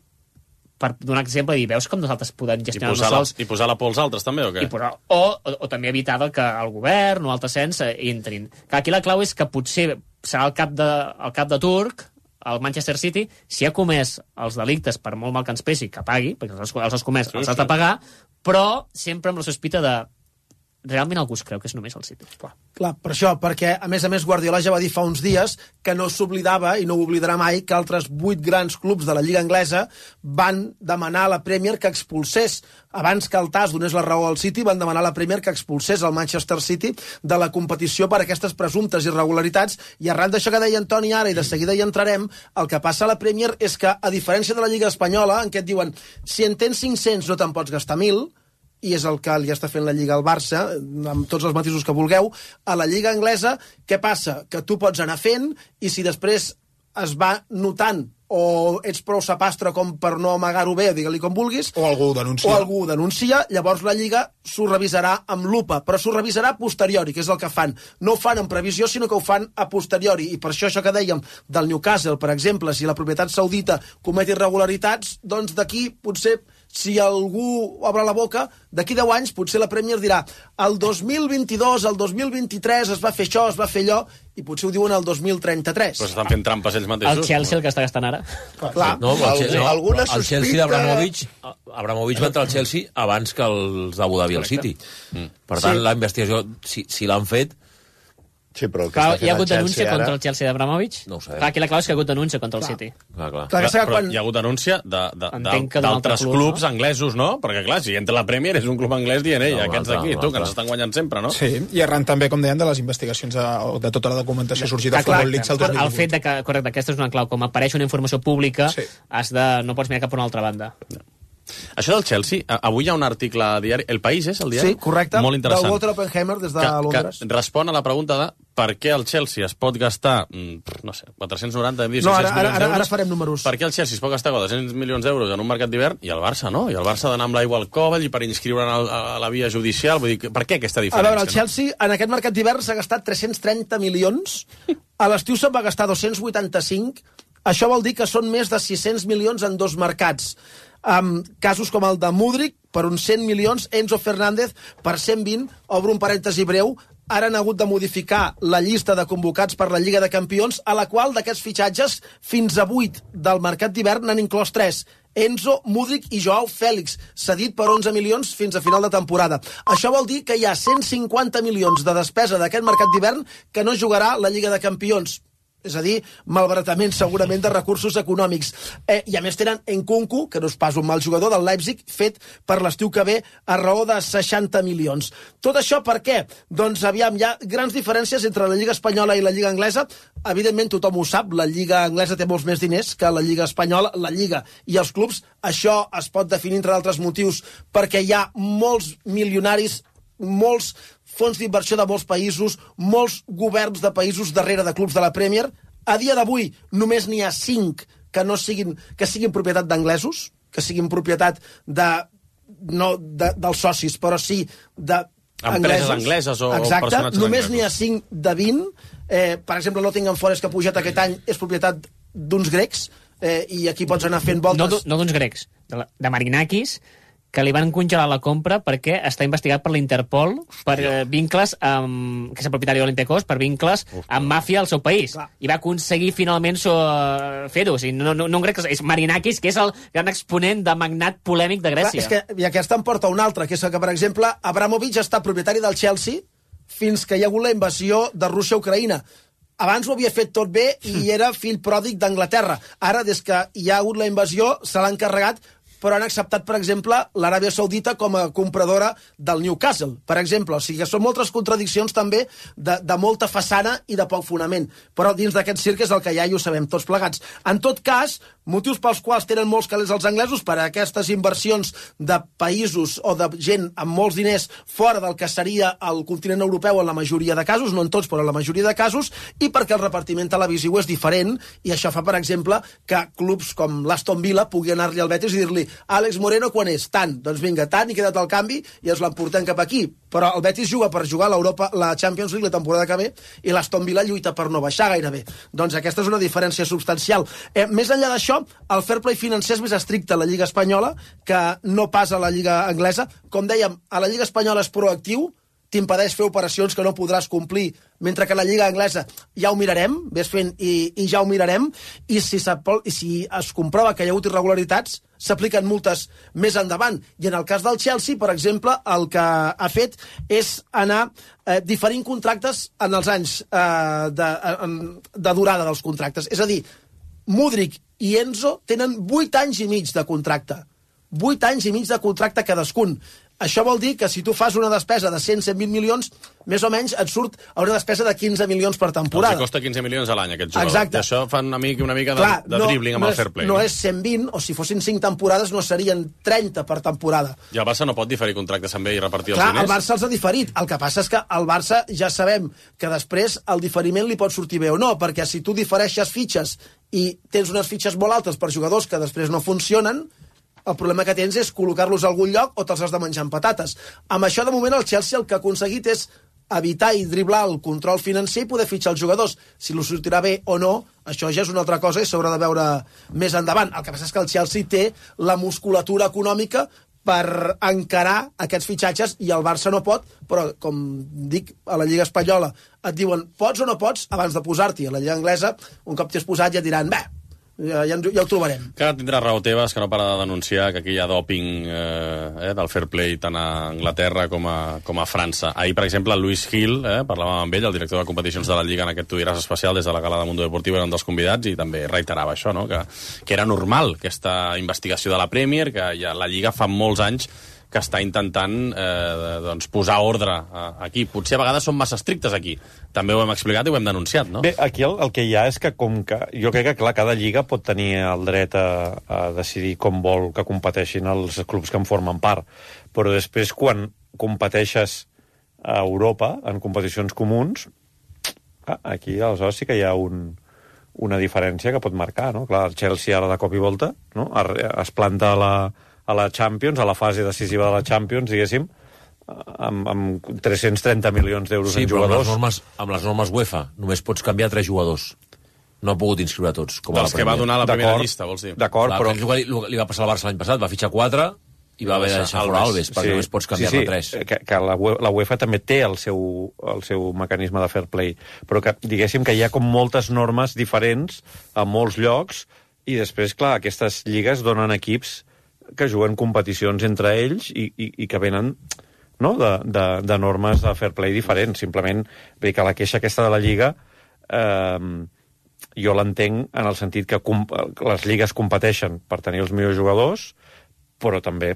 per donar exemple i dir, veus com nosaltres podem gestionar-nos sols... I posar la por als altres, també, o què? O també evitar que el govern o altres cens entrin. Aquí la clau és que potser serà el cap de turc, el Manchester City, si ha comès els delictes, per molt mal que ens pesi, que pagui, perquè els has comès, els has de pagar, però sempre amb la sospita de realment algú es creu que és només el City. Clar, per això, perquè a més Guardiola ja va dir fa uns dies que no s'oblidava i no ho oblidarà mai que altres 8 grans clubs de la Lliga Anglesa van demanar a la Premier que expulsés, abans que el TAS donés la raó al City, van demanar a la Premier que expulsés el Manchester City de la competició per aquestes presumptes irregularitats, i arran d'això que deia Antoni ara, i de seguida hi entrarem, el que passa a la Premier és que, a diferència de la Lliga Espanyola, en què et diuen si en tens 500 no te'n pots gastar 1.000, i és el que li està fent la Lliga al Barça, amb tots els matisos que vulgueu, a la Lliga Anglesa, què passa? Que tu pots anar fent, i si després es va notant o ets prou sapastre com per no amagar-ho bé, digue-li com vulguis, o algú ho denuncia, llavors la Lliga s'ho revisarà amb lupa, però s'ho revisarà a posteriori, que és el que fan. No ho fan en previsió, sinó que ho fan a posteriori, i per això que dèiem del Newcastle, per exemple, si la propietat saudita comet irregularitats, doncs d'aquí potser, si algú obre la boca, d'aquí 10 anys potser la Premier dirà el 2022, el 2023 es va fer això, es va fer allò, i potser ho diuen el 2033. Però s'estan fent trampes ells mateixos. El Chelsea el que està gastant ara. Clar. El Chelsea d'Abramovich va entrar al Chelsea abans que els d'Abu Dhabi al City. Per tant, la investigació, si l'han fet... Sí, però hi ha hagut denúncia contra el Chelsea d'Abramovich? No ho sé. Aquí la clau és que hi ha hagut denúncia contra el City. Però hi ha hagut denúncia d'altres clubs anglesos, no? Perquè, clar, si entra la Premier és un club anglès dient, aquests d'aquí, tu, que ens estan guanyant sempre, no? Sí, i arran també, com deien, de les investigacions de tota la documentació sorgida a Football Leaks el 2018. El fet que, correcte, aquesta és una clau, com apareix una informació pública, no pots mirar cap a una altra banda. Això del Chelsea, avui hi ha un article a diari, El País és el diari? Sí, correcte, molt interessant, del Walter Oppenheimer des de Londres. Que respon a la pregunta de per què el Chelsea es pot gastar, no sé, 490, hem dit, No, 600 milions d'euros? ara farem números. Per què el Chelsea es pot gastar 400 milions d'euros en un mercat d'hivern i el Barça no? I el Barça ha d'anar amb l'aigua al coball i per inscriure'n a la via judicial. Vull dir, per què aquesta diferència? A veure, el Chelsea en aquest mercat d'hivern s'ha gastat 330 milions, a l'estiu se'n va gastar 285, això vol dir que són més de 600 milions en dos mercats. Casos com el de Mudryk, per uns 100 milions, Enzo Fernández per 120, obro un parèntesi breu, ara han hagut de modificar la llista de convocats per la Lliga de Campions, a la qual d'aquests fitxatges, fins a 8 del mercat d'hivern n'han inclòs 3. Enzo, Mudryk i Joao Fèlix, cedit per 11 milions fins a final de temporada. Això vol dir que hi ha 150 milions de despesa d'aquest mercat d'hivern que no jugarà la Lliga de Campions. És a dir, malbaratament segurament de recursos econòmics. I a més tenen Nkunku, que no és pas un mal jugador, del Leipzig, fet per l'estiu que ve a raó de 60 milions. Tot això per què? Doncs aviam, hi ha grans diferències entre la Lliga Espanyola i la Lliga Anglesa. Evidentment tothom ho sap, la Lliga Anglesa té molts més diners que la Lliga Espanyola, la Lliga i els clubs. Això es pot definir, entre d'altres motius, perquè hi ha molts milionaris, molts fons d'inversió de molts països, molts governs de països darrere de clubs de la Premier. A dia d'avui només n'hi ha 5 que siguin propietat d'anglesos, que siguin propietat no dels socis, però sí empreses angleses o exacte, personatges anglesos. Només n'hi ha 5 de 20. Per exemple, Nottingham Forest, que ha pujat aquest any, és propietat d'uns grecs, i aquí pots anar fent voltes. No d'uns grecs, de Marinakis, que li van congelar la compra perquè està investigat per l'Interpol per vincles amb, que és el propietari de l'Olympiacos, per vincles amb màfia al seu país. Clar. I va aconseguir finalment fer-ho. O sigui, no un grec, és Marinakis, que és el gran exponent de magnat polèmic de Grècia. Clar, és que aquesta em porta una altra, que és que, per exemple, Abramovich està propietari del Chelsea fins que hi ha hagut la invasió de Rússia a Ucraïna. Abans ho havia fet tot bé i era fill pròdig d'Anglaterra. Ara, des que hi ha hagut la invasió, se l'ha encarregat, però han acceptat, per exemple, l'Aràbia Saudita com a compradora del Newcastle, per exemple. O sigui que són moltes contradiccions també de molta façana i de poc fonament. Però dins d'aquest circ és el que hi ha i ho sabem tots plegats. En tot cas, motius pels quals tenen molts calés els anglesos per a aquestes inversions de països o de gent amb molts diners fora del que seria el continent europeu en la majoria de casos, no en tots, però en la majoria de casos, i perquè el repartiment televisiu és diferent, i això fa, per exemple, que clubs com l'Aston Villa pugui anar-li al Betis i dir-li Àlex Moreno quan és? Tant. Doncs vinga, tant, i queda't al canvi i ens l'emportem cap aquí. Però el Betis juga per jugar la Champions League la temporada que ve i l'Aston Villa lluita per no baixar gairebé. Doncs aquesta és una diferència substancial. Més enllà d'això, el fair play financer és més estricte a la Lliga Espanyola que no pas a la Lliga Anglesa. Com dèiem, a la Lliga Espanyola és proactiu, t'impedeix fer operacions que no podràs complir, mentre que la Lliga Anglesa ja ho mirarem, ves fent i ja ho mirarem, i si es comprova que hi ha hagut irregularitats, s'apliquen multes més endavant. I en el cas del Chelsea, per exemple, el que ha fet és anar diferint contractes en els anys de durada dels contractes. És a dir, Mudryk i Enzo tenen 8 anys i mig de contracte. 8 anys i mig de contracte cadascun. Això vol dir que si tu fas una despesa de 100-120 milions, més o menys et surt a una despesa de 15 milions per temporada. Els costa 15 milions a l'any, aquest jugador. Exacte. I això fan una mica de dribbling amb el fair play. No és 120, o si fossin 5 temporades no serien 30 per temporada. I el Barça no pot diferir contractes amb ell i repartir els diners? Clar, el Barça els ha diferit. El que passa és que el Barça ja sabem que després el diferiment li pot sortir bé o no, perquè si tu difereixes fitxes i tens unes fitxes molt altes per jugadors que després no funcionen, el problema que tens és col·locar-los a algun lloc o te'ls has de menjar amb patates. Amb això, de moment, el Chelsea el que ha aconseguit és evitar i driblar el control financer i poder fitxar els jugadors. Si lo sortirà bé o no, això ja és una altra cosa i s'haurà de veure més endavant. El que passa és que el Chelsea té la musculatura econòmica per encarar aquests fitxatges i el Barça no pot, però, com dic, a la Lliga Espanyola et diuen pots o no pots abans de posar-t'hi. A la Lliga Anglesa, un cop t'hi has posat, ja et diran, bé, ja ho trobarem. Que tindrà raó Tebas, que no para de denunciar que aquí hi ha dòping del fair play tant a Anglaterra com a França. Ahir, per exemple, Luis Gil, parlàvem amb ell, el director de competicions de la Lliga en aquest Tu diràs especial des de la gala de Mundo Deportivo, era un dels convidats, i també reiterava això, no? que era normal aquesta investigació de la Premier, que ja la Lliga fa molts anys que està intentant posar ordre aquí. Potser a vegades són massa estrictes aquí. També ho hem explicat i ho hem denunciat, no? Bé, aquí el que hi ha és que com que... Jo crec que, clar, cada lliga pot tenir el dret a decidir com vol que competeixin els clubs que en formen part. Però després, quan competeixes a Europa, en competicions comuns, Aquí, aleshores, sí que hi ha una diferència que pot marcar, no? Clar, el Chelsea ara de cop i volta, no? Es planta a la Champions, a la fase decisiva de la Champions, diguéssim, amb 330 milions d'euros en jugadors. Sí, però amb les normes UEFA només pots canviar 3 jugadors. No ha pogut inscriure tots. Dels que va donar la primera llista, vols dir? D'acord, però... Li va passar al Barça l'any passat, va fitxar 4 i va haver de deixar fora Alves, perquè només pots canviar-ne 3. Que la UEFA també té el seu mecanisme de fair play, però que diguéssim que hi ha com moltes normes diferents a molts llocs, i després, clar, aquestes lligues donen equips que juguen competicions entre ells i que venen, no?, de normes de fair play diferents. Simplement, bé, que la queixa aquesta de la Lliga jo l'entenc en el sentit que les lligues competeixen per tenir els millors jugadors, però també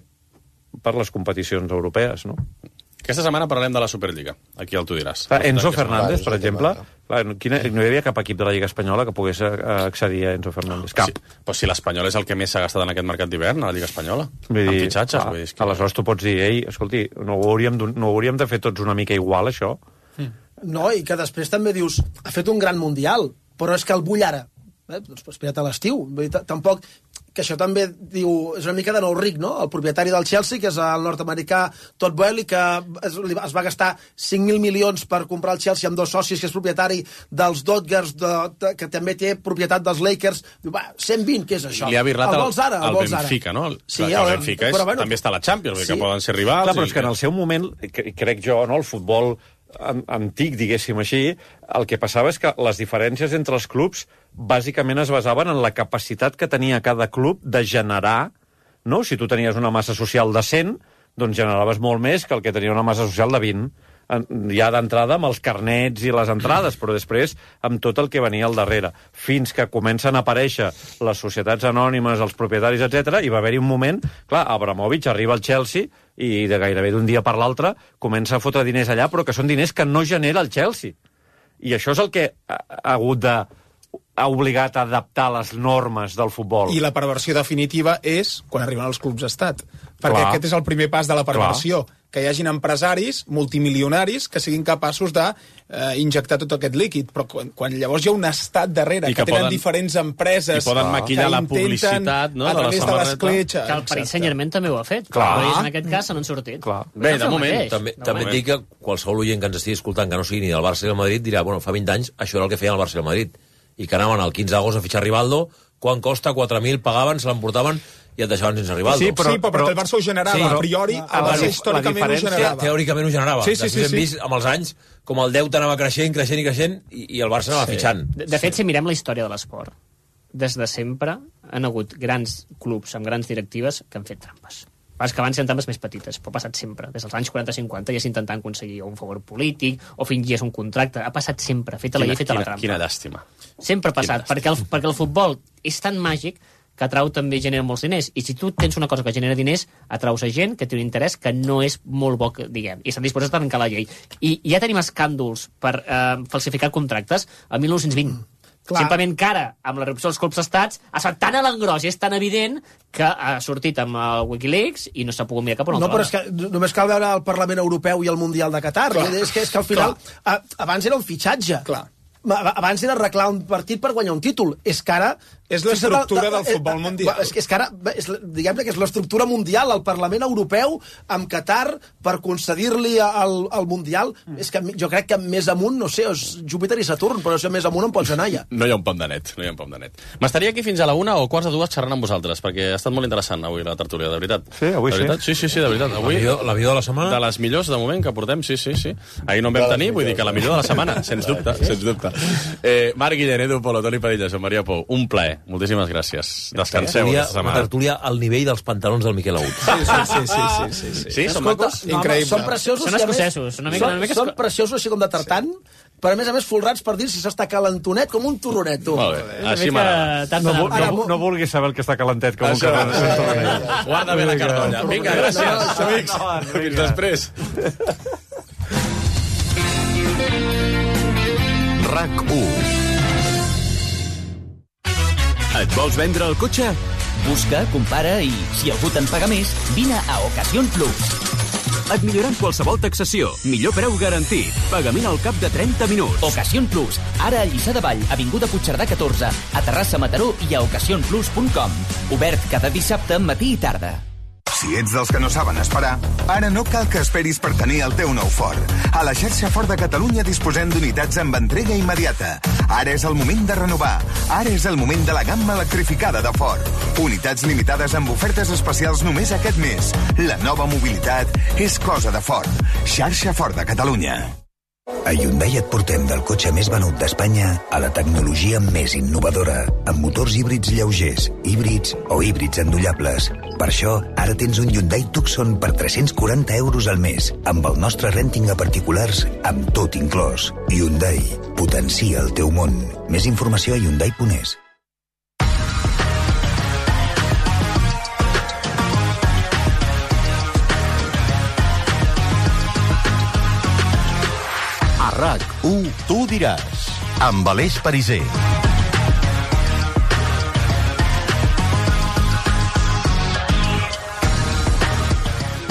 per les competicions europees, no? Aquesta setmana parlarem de la Superliga. Aquí el tu diràs. Enzo Fernández, per exemple, no hi havia cap equip de la Lliga Espanyola que pogués accedir a Enzo Fernández. Cap. Sí, però si l'Espanyol és el que més s'ha gastat en aquest mercat d'hivern, a la Lliga Espanyola, amb fitxatges. Vull dir, aleshores tu pots dir, ei, escolti, no ho hauríem de fer tots una mica igual, això? No, i que després també dius, ha fet un gran mundial, però és que el vull ara. Doncs espera't a l'estiu. Tampoc... que això també diu, és una mica de nou ric, no? El propietari del Chelsea, que és el nord-americà Todd Boehly, que es va gastar 5.000 milions per comprar el Chelsea amb 2 socis, que és propietari dels Dodgers, que també té propietat dels Lakers. Diu, va, 120, què és això? Li ha birlat el vols ara? El Benfica, no? Sí, el Benfica també està a la Champions, que poden ser rivals. Clar, però és que en el seu moment, crec jo, no, el futbol antic, diguéssim així, el que passava és que les diferències entre els clubs bàsicament es basaven en la capacitat que tenia cada club de generar, no? Si tu tenies una massa social de 100, doncs generaves molt més que el que tenia una massa social de 20. Ja d'entrada amb els carnets i les entrades, però després amb tot el que venia al darrere. Fins que comencen a aparèixer les societats anònimes, els propietaris, etc. I va haver-hi un moment, clar, Abramovich arriba al Chelsea i de gairebé d'un dia per l'altre comença a fotre diners allà, però que són diners que no genera el Chelsea. I això és el que ha obligat a adaptar les normes del futbol. I la perversió definitiva és quan arriben els clubs d'estat. Perquè aquest és el primer pas de la perversió. Que hi hagin empresaris multimilionaris que siguin capaços d'injectar tot aquest líquid. Però quan llavors hi ha un estat darrere, que tenen diferents empreses... I poden maquillar la publicitat, no?, a través de l'escletxa. Que el Paris Saint-Germain també ho ha fet. Però en aquest cas se n'han sortit. Bé, de moment. També et dic que qualsevol oient que ens estigui escoltant que no sigui ni del Barça ni del Madrid dirà, bueno, fa 20 anys això era el que feien el Barça i el Madrid. I que anaven el 15 d'agost a fitxar Rivaldo, quan costa 4.000 pagaven, se l'emportaven i et deixaven sense Rivaldo. Sí, però el Barça ho generava. A priori, el Barça històricament ho generava. Teòricament ho generava. Després hem vist amb els anys com el deute anava creixent i el Barça anava fitxant. De fet, si mirem la història de l'esport, des de sempre han hagut grans clubs amb grans directives que han fet trampes. És que abans eren trampes més petites, però ha passat sempre. Des dels anys 40-50 ja s'intentant aconseguir un favor polític o fingies un contracte. Ha passat sempre. Feta la llei, feta la trampa. Quina llàstima. Sempre ha passat, perquè el futbol és tan màgic que atrau també genera molts diners. I si tu tens una cosa que genera diners, atraus a gent que té un interès que no és molt bo, diguem, i estan disposats a trencar la llei. I ja tenim escàndols per falsificar contractes a 1920. Clar. Simplement que ara, amb la reducció dels colps estats, ha estat tan a l'engròs i és tan evident que ha sortit amb el Wikileaks i no s'ha pogut mirar cap a una altra. No, però és que només cal veure el Parlament Europeu i el Mundial de Qatar. És que al final, abans era un fitxatge. Clar. Abans era arreglar un partit per guanyar un títol. És que ara... És l'estructura del futbol mundial. És que ara, diguem-ne que és l'estructura mundial, el Parlament Europeu amb Qatar per concedir-li el Mundial. És que jo crec que més amunt, no sé, és Júpiter i Saturn, però si més amunt en pots anar ja. No hi ha un pom de net, no hi ha un pom de net. M'estaria aquí fins a la 1 o quarts de 2 xerrant amb vosaltres, perquè ha estat molt interessant avui la tertúlia, de veritat. Sí, avui sí. Sí, de veritat. Avui, la millor de la setmana? De les millors, de moment, que portem, sí. Ahir no en vam tenir, vull dir que la millor de la setmana, sens dubte. Marc Guillén, Edu Polo, Toni Padilla, Joan Maria Pou, un plaer. Moltíssimes gràcies. Descanseu aquesta setmana. Una tertúlia al nivell dels pantalons del Miquel Agut. Sí, són macos? Increïble. Són preciosos. Són escocesos. Són preciosos així com de tartant, però a més folrats per dir si s'està calentonet com un torronet, tu. Molt bé, així m'agrada. No vulguis saber el que està calentet com un torronet. Guarda bé la cartolla. Vinga, gràcies, amics. Fins després. RAC1. Et vols vendre el cotxe? Busca, compara i, si algú te'n paga més, vine a Ocasión Plus. et millorant qualsevol taxació. Millor preu garantit. Pagament al cap de 30 minuts. Ocasión Plus, ara a Lliçà de Vall, avinguda Puigcerdà 14, a Terrassa, Mataró i a ocasiónplus.com. Obert cada dissabte, matí i tarda. Si ets dels que no saben esperar, ara no cal que esperis per tenir el teu nou Ford. A la xarxa Ford de Catalunya disposem d'unitats amb entrega immediata. Ara és el moment de renovar. Ara és el moment de la gamma electrificada de Ford. Unitats limitades amb ofertes especials només aquest mes. La nova mobilitat és cosa de Ford. Xarxa Ford de Catalunya. A Hyundai et portem del cotxe més venut d'Espanya a la tecnologia més innovadora, amb motors híbrids lleugers, híbrids o híbrids endollables. Per això, ara tens un Hyundai Tucson per 340 euros al mes, amb el nostre renting a particulars, amb tot inclòs. Hyundai, potencia el teu món. Més informació a hyundai.es. RAC1, tu diràs, amb Aleix Pariser.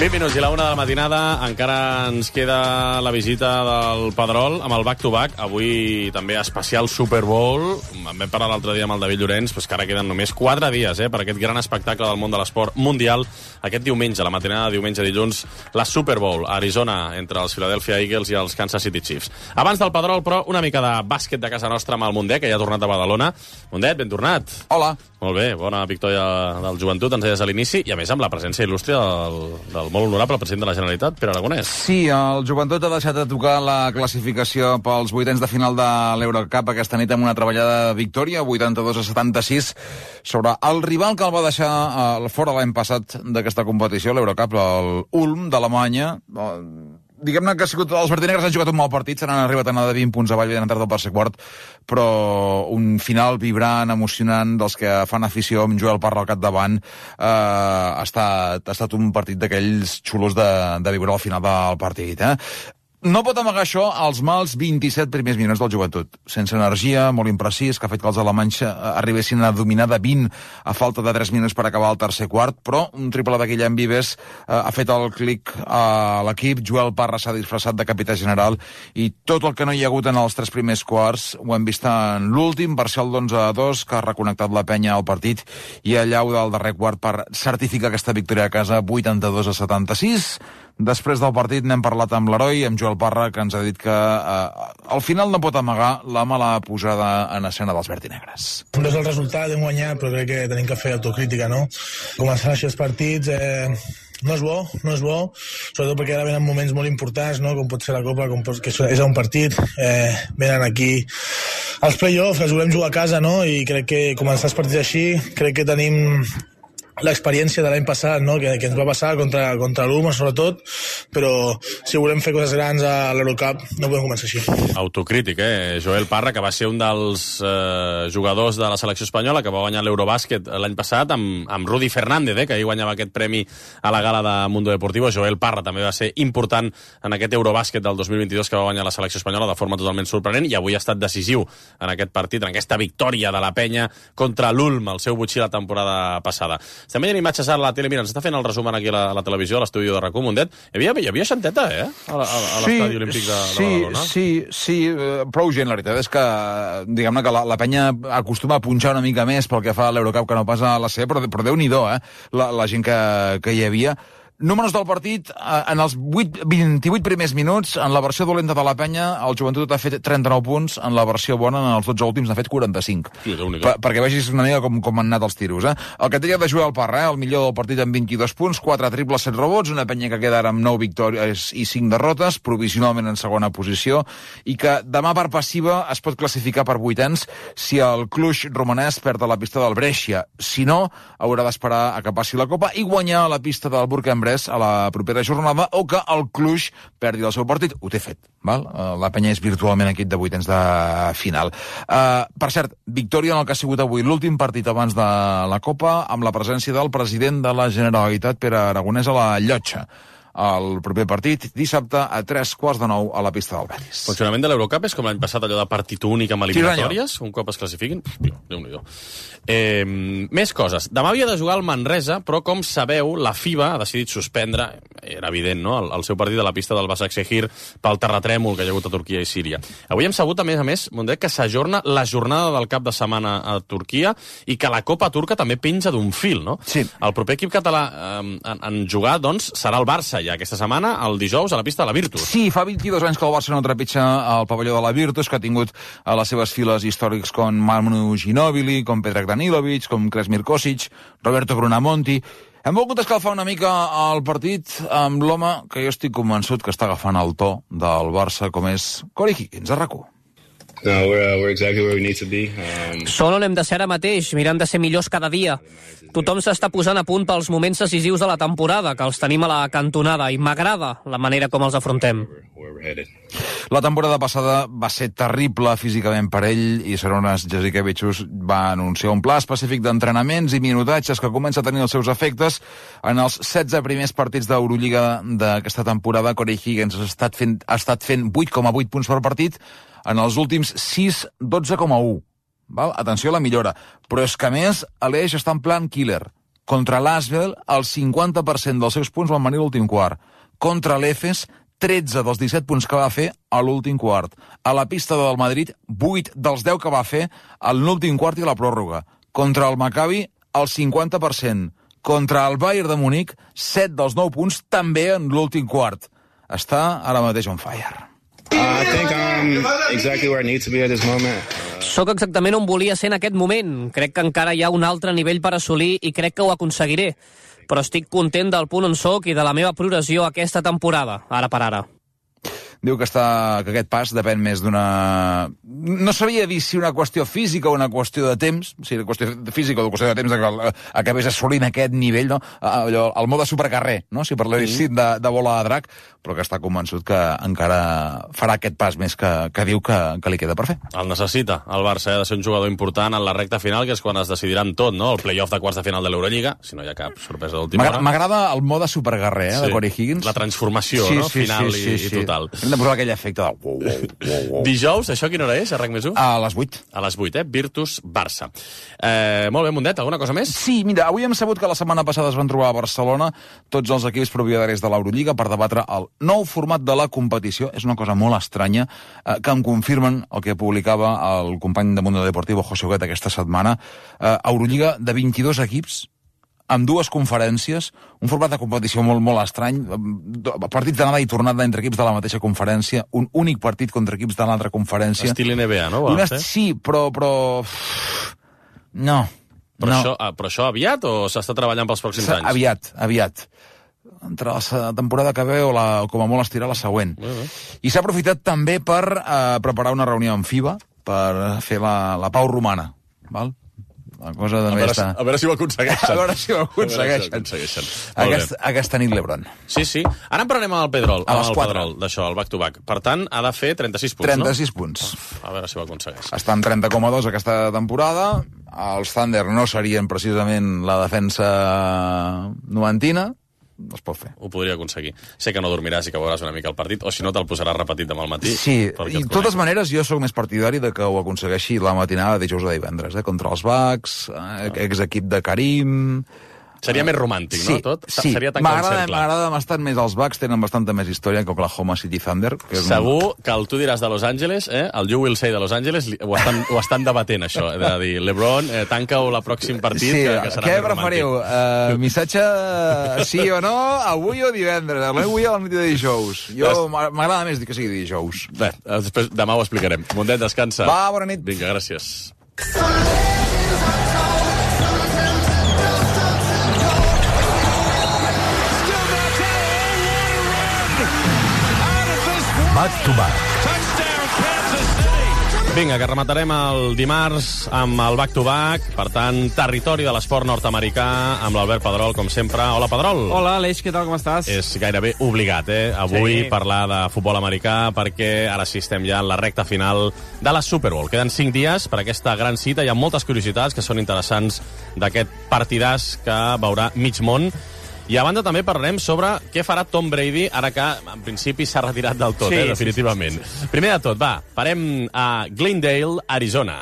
Minuts i la 1 de la matinada, encara ens queda la visita del Pedrol amb el back-to-back. Avui també especial Super Bowl. En vam parlar l'altre dia amb el David Llorenç, però que ara queden només 4 dies per aquest gran espectacle del món de l'esport mundial. Aquest diumenge, la matinada de diumenge dilluns, la Super Bowl a Arizona entre els Philadelphia Eagles i els Kansas City Chiefs. Abans del Pedrol, però, una mica de bàsquet de casa nostra amb el Mundet, que ja ha tornat a Badalona. Mundet, ben tornat. Hola. Molt bé, bona victòria del Joventut, ens deies a l'inici, i a més amb la presència il·lustre del molt honorable president de la Generalitat, Pere Aragonès. Sí, el Joventut ha deixat de tocar la classificació pels vuitens de final de l'Eurocup aquesta nit amb una treballada victòria, 82-76, sobre el rival que el va deixar fora l'any passat d'aquesta competició, l'Eurocup, el Ulm d'Alemanya. Diguem-ne que els verdinegres han jugat un mal partit, se n'han arribat a anar de 20 punts avall, ben entrat al tercer quart, però un final vibrant, emocionant, dels que fan afició amb Joel Parra al capdavant. Ha estat un partit d'aquells xulos de viure al final del partit. No pot amagar això als mals 27 primers minuts del Joventut. Sense energia, molt imprecís, que ha fet que els alemanys arribessin a dominar de 20 a falta de 3 minuts per acabar el tercer quart, però un triple de Guillem Vives ha fet el clic a l'equip. Joel Parra s'ha disfressat de capità general i tot el que no hi ha hagut en els 3 primers quarts ho hem vist en l'últim, parcial d'11-2, que ha reconnectat la penya al partit, i allau del darrer quart per certificar aquesta victòria a casa, 82-76. Després del partit n'hem parlat amb l'heroi, amb Joel Parra, que ens ha dit que al final no pot amagar la mala posada en escena dels verdinegres. No és el resultat, hem guanyat, però crec que tenim que fer autocrítica, no? Començar així els partits no és bo, sobretot perquè ara venen moments molt importants, no? Com pot ser la Copa, que és un partit, venen aquí els play-offs, els volem jugar a casa, no? I crec que començar els partits així, crec que tenim l'experiència de l'any passat, no? que ens va passar contra l'Ulm, sobretot, però si volem fer coses grans a l'Eurocup no podem començar així. Autocrític, Joel Parra, que va ser un dels jugadors de la selecció espanyola que va guanyar l'Eurobàsquet l'any passat amb Rudi Fernández, que ahir guanyava aquest premi a la gala de Mundo Deportivo. Joel Parra també va ser important en aquest Eurobàsquet del 2022 que va guanyar la selecció espanyola de forma totalment sorprenent, i avui ha estat decisiu en aquest partit, en aquesta victòria de la penya contra l'Ulm, el seu botxí la temporada passada. Estem veient imatges a la tele. Mira, ens està fent el resum aquí a la televisió, a l'estudi de RAC1, Mundet. Hi havia xanteta, a l'estadi olímpic de Badalona. Sí, prou gent, la veritat és que, diguem-ne que la penya acostuma a punxar una mica més pel que fa a l'Eurocup que no passa a la C, però Déu-n'hi-do, la gent que hi havia. Números del partit, en els 28 primers minuts, en la versió dolenta de la penya, el Joventut ha fet 39 punts, en la versió bona, en els 12 últims, n'ha fet 45. Sí, perquè vegis una mica com han anat els tiros. El que tenia de Joel Parra, el millor del partit amb 22 punts, 4 triples, 7 rebots, una penya que queda ara amb 9 victòries i 5 derrotes, provisionalment en segona posició, i que demà per passiva es pot classificar per vuitens si el Cluj romanès perd a la pista del Brescia. Si no, haurà d'esperar a que passi la Copa i guanyar a la pista del Bourg-en-Bresse a la propera jornada, o que el Cluj perdi el seu partit. Ho té fet, val? La penya és virtualment equip de vuitens de final. Per cert, victòria en el que ha sigut avui l'últim partit abans de la Copa, amb la presència del president de la Generalitat, Pere Aragonès, a la Llotja. El proper partit, dissabte, a 8:45 a la pista del Betis. Funcionament de l'Eurocup és com l'any passat, allò de partit únic amb eliminatòries, un cop es classifiquin? Déu-n'hi-do. Més coses. Demà havia de jugar el Manresa, però com sabeu, la FIBA ha decidit suspendre, era evident, no?, el seu partit a la pista del Başakşehir pel terratrèmol que hi ha hagut a Turquia i Síria. Avui hem sabut, a més, Mundet, que s'ajorna la jornada del cap de setmana a Turquia i que la Copa turca també penja d'un fil, no? Sí. El proper equip català en jugar, doncs, serà el Barça ja aquesta setmana, el dijous, a la pista de la Virtus. Sí, fa 22 anys que el Barça no trepitja el pavelló de la Virtus, que ha tingut a les seves files històrics com Manu Ginóbili, com Predrag Danilovic, com Kresmir Kosic, Roberto Brunamonti. Hem volgut escalfar una mica el partit amb l'home que jo estic convençut que està agafant el to del Barça, com és Corey Higgins, a RAC1. No, we're exactly where we need to be. Són on hem de ser ara mateix, mirant de ser millors cada dia. Tothom s'està posant a punt pels moments decisius de la temporada, que els tenim a la cantonada, i m'agrada la manera com els afrontem. La temporada passada va ser terrible físicament per ell i Šarūnas Jasikevičius va anunciar un pla específic d'entrenaments i minutatges que comença a tenir els seus efectes. En els 16 primers partits d'Eurolliga d'aquesta temporada, Corey Higgins ha estat fent 8,8 punts per partit, en els últims 6, 12,1. Val? Atenció a la millora. Però és que, a més, Aleix està en plan killer. Contra l'Asvel, el 50% dels seus punts van venir a l'últim quart. Contra l'Efes, 13 dels 17 punts que va fer a l'últim quart. A la pista del Madrid, 8 dels 10 que va fer a l'últim quart i a la pròrroga. Contra el Maccabi, el 50%. Contra el Bayern de Munic, 7 dels 9 punts també en l'últim quart. Està ara mateix on fire. I think I'm exactly where I need to be at this moment. Soc exactament on volia ser en aquest moment. Crec que encara hi ha un altre nivell per assolir i crec que ho aconseguiré. Però estic content del punt on soc i de la meva progressió aquesta temporada, ara per ara. Diu que aquest pas depèn més d'una... No sabia dir si una qüestió física o una qüestió de temps, si una qüestió física o una qüestió de temps que acabés assolint aquest nivell, no? El mode supercarrer, no? Si parléssim de bola de drac, però que està convençut que encara farà aquest pas més que diu que li queda per fer. El necessita, el Barça, ha de ser un jugador important en la recta final, que és quan es decidiran tot, no? El play-off de quarts de final de l'Eurolliga, si no hi ha cap sorpresa d'última hora. M'agrada el mode supercarrer, de Corey Higgins. La transformació, no? Final i total. Hem de posar aquell efecte de... Dijous, això quina hora és, a RAC+1? A les 8. A les 8, Virtus-Barça. Molt bé, Mundet, alguna cosa més? Sí, mira, avui hem sabut que la setmana passada es van trobar a Barcelona tots els equips propietaris de l'Eurolliga per debatre el nou format de la competició. És una cosa molt estranya, que em confirmen el que publicava el company de Mundo Deportivo, José Huguet, aquesta setmana. Eurolliga de 22 equips, amb dues conferències, un format de competició molt, molt estrany, partits d'anada i tornada entre equips de la mateixa conferència, un únic partit contra equips de l'altra conferència. Estil NBA, no? Sí, però... No. Però això aviat o s'està treballant pels pròxims anys? Aviat. Entre la temporada que ve o com a molt estirar la següent. I s'ha aprofitat també per preparar una reunió amb FIBA per fer la pau romana, val? La cosa a veure si ho aconsegueixen. A veure si ho aconsegueixen. Aquesta nit l'Ebron. Sí. Ara en parlarem amb el Pedrol, d'això, el back-to-back. Per tant, ha de fer 36 punts, 36 punts. A veure si ho aconsegueix. Està en 30,2 aquesta temporada. Els Thunder no serien precisament la defensa noventina. Es pot fer. Ho podria aconseguir. Sé que no dormiràs i que veuràs una mica el partit, o si no te'l posaràs repetit demà al matí. Sí, i de totes maneres jo sóc més partidari de que ho aconsegueixi la matinada de dijous a divendres, contra els Bucks, exequip de Karim... Seria més romàntic, no? Tot? Sí, m'agrada bastant més els Bucks, tenen bastanta més història que Oklahoma City Thunder. Segur que tu diràs de Los Angeles, el You Will Say de Los Angeles, ho estan debatent, això, de dir, LeBron, tanca-ho la pròxim partit, que serà què més preferiu? Missatge sí o no, avui o divendres? Avui o la nit de dijous? Jo m'agrada més dir que sigui dijous. Bé, després demà ho explicarem. Mundet, descansa. Va, bona nit. Vinga, gràcies. Back to back. Vinga, que rematarem el dimarts amb el back-to-back. Per tant, territori de l'esport nord-americà amb l'Albert Pedrol, com sempre. Hola, Pedrol. Hola, Aleix, què tal, com estàs? És gairebé obligat, avui parlar de futbol americà, perquè ara sí estem ja en la recta final de la Super Bowl. Queden 5 dies per aquesta gran cita. Hi ha moltes curiositats que són interessants d'aquest partidàs que veurà mig món. I a banda també parlarem sobre què farà Tom Brady ara que, en principi, s'ha retirat del tot, definitivament. Sí. Primer de tot, parem a Glendale, Arizona.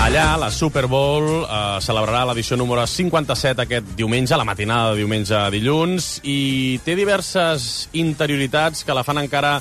Allà, la Super Bowl celebrarà l'edició número 57 aquest diumenge, la matinada de diumenge a dilluns, i té diverses interioritats que la fan encara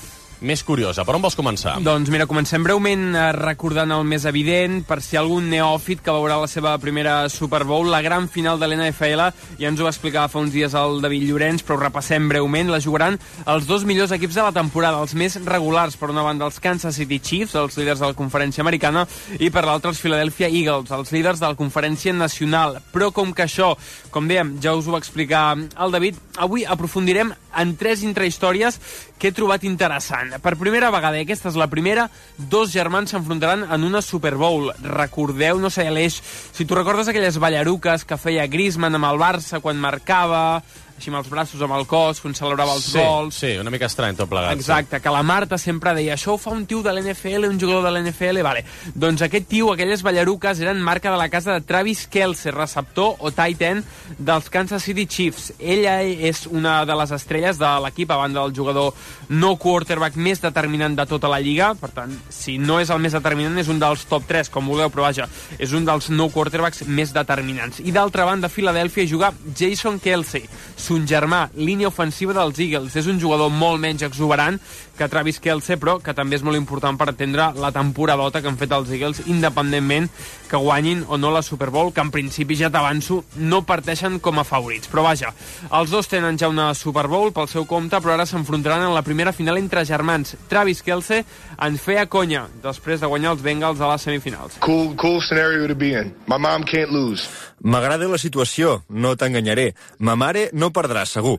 més curiosa. Per on vols començar? Doncs mira, comencem breument recordant el més evident, per si hi ha algun neòfit que veurà la seva primera Super Bowl, la gran final de l'NFL, ja ens ho va explicar fa uns dies el David Llorenç, però ho repassem breument. La jugaran els dos millors equips de la temporada, els més regulars, per una banda els Kansas City Chiefs, els líders de la conferència americana, i per l'altra els Philadelphia Eagles, els líders de la conferència nacional. Però com que això, com dèiem, ja us ho va explicar el David, avui aprofundirem en 3 intrahistòries que he trobat interessant. Per primera vegada, i aquesta és la primera, 2 germans s'enfrontaran en una Super Bowl. Recordeu, no sé, Aleix, si tu recordes aquelles ballaruques que feia Griezmann amb el Barça quan marcava, així amb els braços, amb el cos, quan celebrava els gols. Sí, una mica estrany tot plegat. Exacte, que la Marta sempre deia, això ho fa un tio de l'NFL, un jugador de l'NFL, vale. Doncs aquest tio, aquelles ballaruques, eren marca de la casa de Travis Kelce, receptor o tight end dels Kansas City Chiefs. Ella és una de les estrelles de l'equip, a banda del jugador no quarterback més determinant de tota la lliga. Per tant, si no és el més determinant, és un dels top 3, com vulgueu, però vaja, és un dels no quarterbacks més determinants. I d'altra banda, a Filadèlfia juga Jason Kelce, son germà, línia ofensiva dels Eagles. És un jugador molt menys exuberant que Travis Kelce, però que també és molt important per atendre la temporadota que han fet els Eagles, independentment que guanyin o no la Super Bowl, que en principi, ja t'avanço, no parteixen com a favorits. Però vaja, els dos tenen ja una Super Bowl pel seu compte, però ara s'enfrontaran en la primera final entre germans. Travis Kelce ens feia conya després de guanyar els Bengals a les semifinals. Cool scenario to be in. My mom can't lose. M'agrada la situació, no t'enganyaré. Ma mare no perdrà, segur.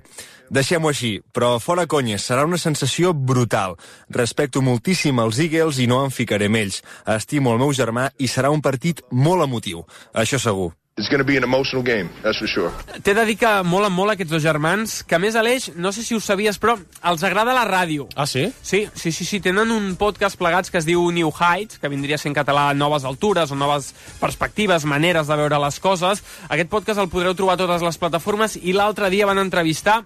Deixem-ho així, però fora conyes, serà una sensació brutal. Respecto moltíssim els Eagles i no em ficaré amb ells. Estimo el meu germà i serà un partit molt emotiu. Això segur. It's going to be an emotional game, that's for sure. T'he de dir que molen molt aquests dos germans, que a més, Aleix, no sé si ho sabies, però els agrada la ràdio. Ah, sí? Sí. Tenen un podcast plegats que es diu New Heights, que vindria a ser en català Noves Altures o Noves Perspectives, maneres de veure les coses. Aquest podcast el podreu trobar a totes les plataformes i l'altre dia van entrevistar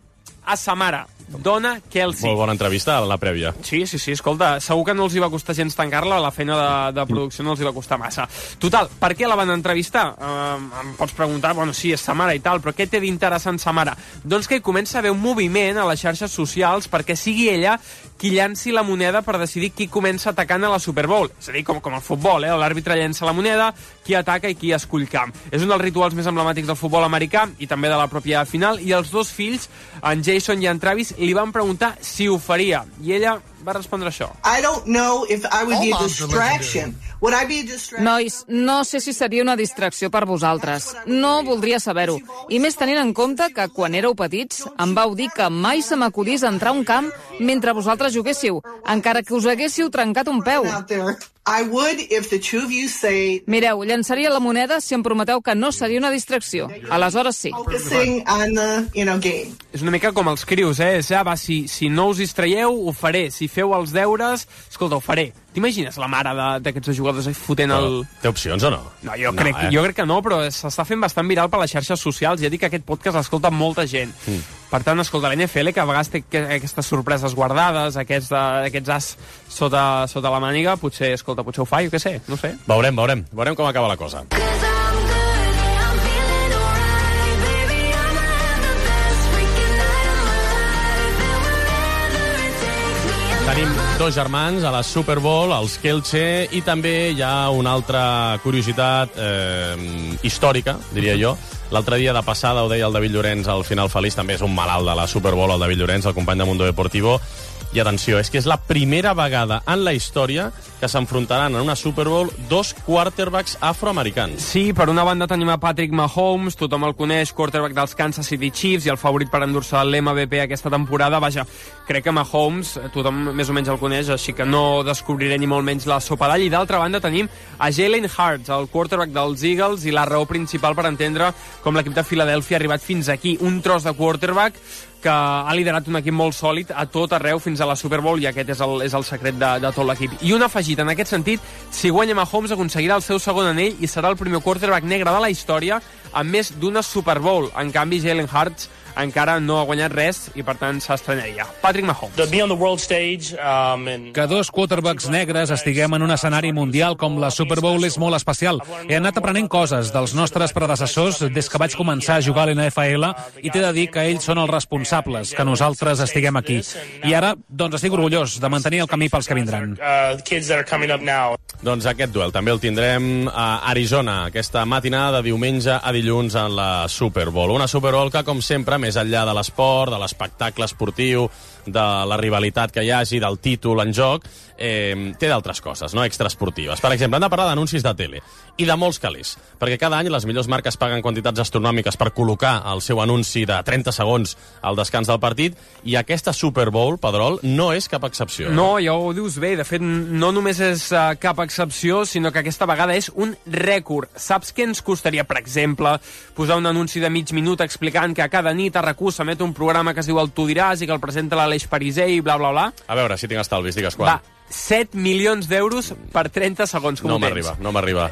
a sa mare, Donna Kelce. Molt bona entrevista a la prèvia. Sí, escolta, segur que no els hi va costar gens tancar-la, la feina de producció no els hi va costar massa. Total, per què la van entrevistar? Em pots preguntar, bueno, sí, és sa mare i tal, però què té d'interessant sa mare? Doncs que hi comença a haver un moviment a les xarxes socials perquè sigui ella qui llanci la moneda per decidir qui comença atacant a la Super Bowl. És a dir, com el futbol, l'àrbitre llença la moneda, qui ataca i qui escull camp. És un dels rituals més emblemàtics del futbol americà i també de la pròpia final, i els dos fills, en Jason i en Travis, li van preguntar si ho faria, i ella va respondre això. I don't know if I would be a distraction. Would I be a distraction? Nois, no sé si seria una distracció per vosaltres. No voldria saber-ho. I més tenint en compte que quan éreu petits em vau dir que mai se m'acudís entrar a un camp mentre vosaltres juguéssiu, encara que us haguéssiu trencat un peu. I would if the two of you say... Mireu, llançaria la moneda si em prometeu que no seria una distracció. Aleshores sí. Focusing on the, game. És una mica com els crius, si no us distraieu, ho faré. Si feu els deures, escolta, ho faré. T'imagines la mare d'aquests jugadors fotent el... Té opcions o no? No, jo crec que no, però s'està fent bastant viral per les xarxes socials. Ja dic que aquest podcast l'escolta molta gent. Per tant, escolta, la NFL, que a vegades té aquestes sorpreses guardades, aquests as sota la màniga, potser ho fa, jo què sé, no sé. Veurem com acaba la cosa. Tenim dos germans a la Super Bowl, els Kelce, i també hi ha una altra curiositat històrica, diria jo. L'altre dia de passada ho deia el David Llorenç al Final Feliç, també és un malalt de la Super Bowl, el David Llorenç, el company de Mundo Deportivo. I atenció, és que és la primera vegada en la història que s'enfrontaran en una Super Bowl dos quarterbacks afroamericans. Sí, per una banda tenim a Patrick Mahomes, tothom el coneix, quarterback dels Kansas City Chiefs i el favorit per endur-se l'MVP aquesta temporada. Vaja, crec que Mahomes, tothom més o menys el coneix, així que no descobriré ni molt menys la sopa d'all. I d'altra banda tenim a Jalen Hurts, el quarterback dels Eagles, i la raó principal per entendre com l'equip de Filadèlfia ha arribat fins aquí. Un tros de quarterback que ha liderat un equip molt sòlid a tot arreu fins a la Super Bowl, i aquest és el secret de tot l'equip. I un afegit en aquest sentit, si guanya Mahomes aconseguirà el seu segon anell i serà el primer quarterback negre de la història amb més d'una Super Bowl. En canvi, Jalen Hurts encara no ha guanyat res i, per tant, s'estranyaria. Patrick Mahomes. Que dos quarterbacks negres estiguem en un escenari mundial com la Super Bowl és molt especial. He anat aprenent coses dels nostres predecessors des que vaig començar a jugar a l'NFL i t'he de dir que ells són els responsables que nosaltres estiguem aquí. I ara, doncs, estic orgullós de mantenir el camí pels que vindran. Doncs aquest duel també el tindrem a Arizona, aquesta matinada de diumenge a dilluns en la Super Bowl. Una Super Bowl que, com sempre, més enllà de l'esport, de l'espectacle esportiu, de la rivalitat que hi hagi, del títol en joc, té d'altres coses, no extraesportives. Per exemple, hem de parlar d'anuncis de tele i de molts calés, perquè cada any les millors marques paguen quantitats astronòmiques per col·locar el seu anunci de 30 segons al descans del partit, i aquesta Super Bowl, Pedrol, no és cap excepció. No, ja ho dius bé. De fet, no només és cap excepció, sinó que aquesta vegada és un rècord. Saps què ens costaria, per exemple, posar un anunci de mig minut explicant que a cada nit a RAC1 s'emet un programa que es diu El Tu diràs i que el presenta l'Aleix Pariser i bla, bla, bla? A veure, si tinc estalvis, digues quan. Va, 7 milions d'euros per 30 segons. No m'arriba.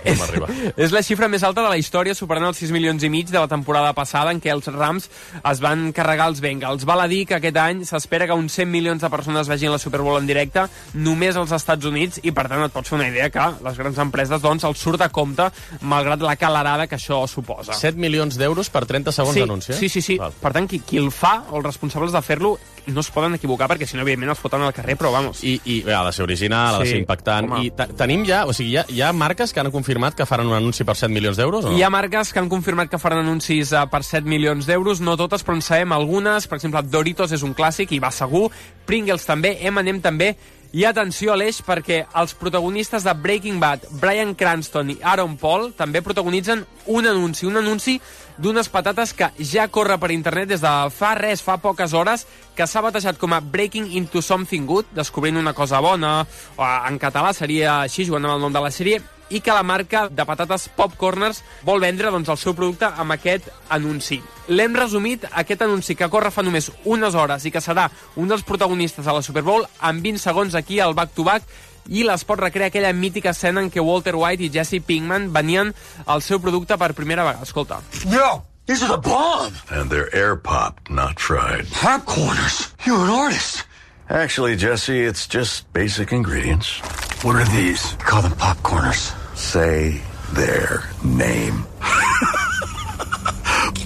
És la xifra més alta de la història, superant els 6 milions i mig de la temporada passada, en què els Rams es van carregar els Bengals. Val a dir que aquest any s'espera que uns 100 milions de persones vegin la Super Bowl en directe només als Estats Units, i per tant et pots fer una idea que les grans empreses doncs els surt a compte, malgrat la calarada que això suposa. 7 milions d'euros per 30 segons d'anunci? Sí. Val. Per tant, qui el fa, o els responsables de fer-lo, no es poden equivocar, perquè si no, evidentment, els foten al carrer, però vamos. I ha de ser original, ha de ser impactant. Home. I tenim ja, o sigui, hi ha marques que han confirmat que faran un anunci per 7 milions d'euros, o no? Hi ha marques que han confirmat que faran anuncis per 7 milions d'euros, no totes, però en sabem algunes. Per exemple, Doritos és un clàssic i va segur, Pringles també, M&M també. I atenció, Aleix, perquè els protagonistes de Breaking Bad, Bryan Cranston i Aaron Paul, també protagonitzen un anunci d'unes patates que ja corre per internet des de fa poques hores, que s'ha batejat com a Breaking into Something Good, descobrint una cosa bona, o en català seria així, jugant amb el nom de la sèrie, i que la marca de patates Popcorners vol vendre doncs, el seu producte amb aquest anunci. L'hem resumit, aquest anunci que corre fa només unes hores i que serà un dels protagonistes a la Super Bowl, en 20 segons aquí al back-to-back, i l'esport recrea aquella mítica escena en què Walter White i Jesse Pinkman venien al seu producte per primera vegada. Escolta. Yo, these are the bomb! And they're air-popped, not fried. Popcorners! You're an artist! Actually, Jesse, it's just basic ingredients. What are these? Call them popcorners. Say their name.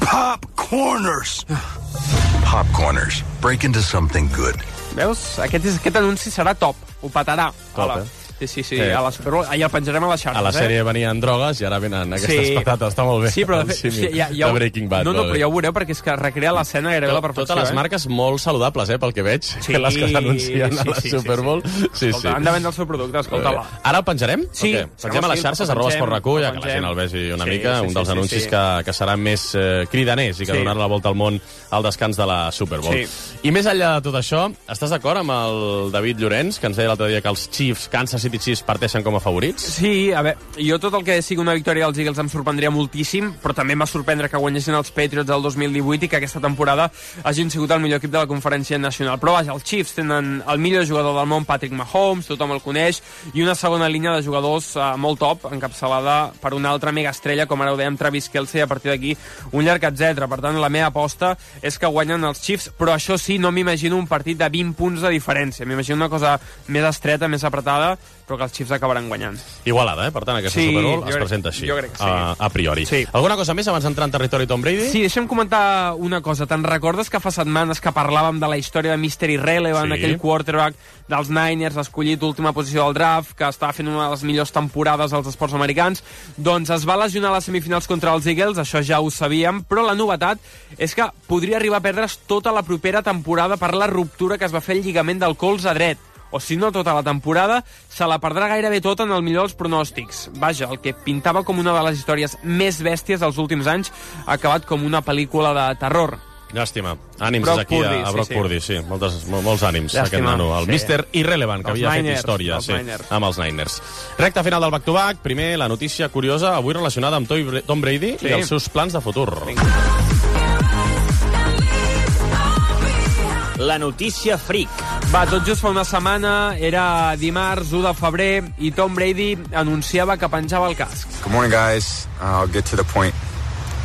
Popcorners! Popcorners. Break into something good. Veus? Aquest anunci serà top. Ho petarà. Top, Sí, a la Super Bowl. Ahir el penjarem a les xarxes. A la sèrie venien drogues i ara venen aquestes patates. Està molt bé. Sí, però de fet, de Breaking Bad. No, però ja ho veureu, perquè és que recrea l'escena gairebé a la perfecció. Totes les marques molt saludables, pel que veig, que les que s'anuncien a la Super Bowl. Sí. Han de vendre el seu producte, escolta-la. Ara el penjarem? Sí. Pengem a les xarxes, @esportrecu, ja que la gent el vegi una mica, un dels anuncis que seran més cridaners i que donaran la volta al món al descans de la Super Bowl. I més enllà de tot això, estàs d'acord amb el David Llorenç, que ens deia l'altre dia que els Kansas City Chiefs parteixen com a favorits? Sí, a veure, jo tot el que sigui una victòria dels Eagles em sorprendria moltíssim, però també em va sorprendre que guanyessin els Patriots del 2018 i que aquesta temporada hagin sigut el millor equip de la Conferència Nacional. Però vaja, els Chiefs tenen el millor jugador del món, Patrick Mahomes, tothom el coneix, i una segona línia de jugadors molt top, encapçalada per una altra mega estrella, com ara ho dèiem, Travis Kelce, a partir d'aquí un llarg etc. Per tant, la meva aposta és que guanyen els Chiefs, però això sí, no m'imagino un partit de 20 punts de diferència. M'imagino una cosa més estreta, més apretada, però que els Chiefs acabaran guanyant. Igualada, per tant, aquesta Super Bowl es presenta així, jo crec que sí. A priori. Sí. Alguna cosa més abans d'entrar en territori Tom Brady? Sí, deixa'm comentar una cosa. Te'n recordes que fa setmanes que parlàvem de la història de Mr. Irrelevant, aquell quarterback dels Niners, escollit última posició del draft, que estava fent una de les millors temporades als esports americans? Doncs es va lesionar a les semifinals contra els Eagles, això ja ho sabíem, però la novetat és que podria arribar a perdre's tota la propera temporada per la ruptura que es va fer el lligament del colze dret. O si no tota la temporada, se la perdrà gairebé tota en el millor dels pronòstics. Vaja, el que pintava com una de les històries més bèsties dels últims anys ha acabat com una pel·lícula de terror. Llàstima. Ànims aquí a Brock Purdy, sí. Molts ànims, aquest nano. El Mr. Irrelevant, que havia fet història amb els Niners. Recta final del back-to-back. Primer, la notícia curiosa, avui relacionada amb Tom Brady i els seus plans de futur. La notícia freak. Va, tot just fa una setmana, era dimarts 1 de febrer, i Tom Brady anunciava que penjava el casc. Good morning, guys. I'll get to the point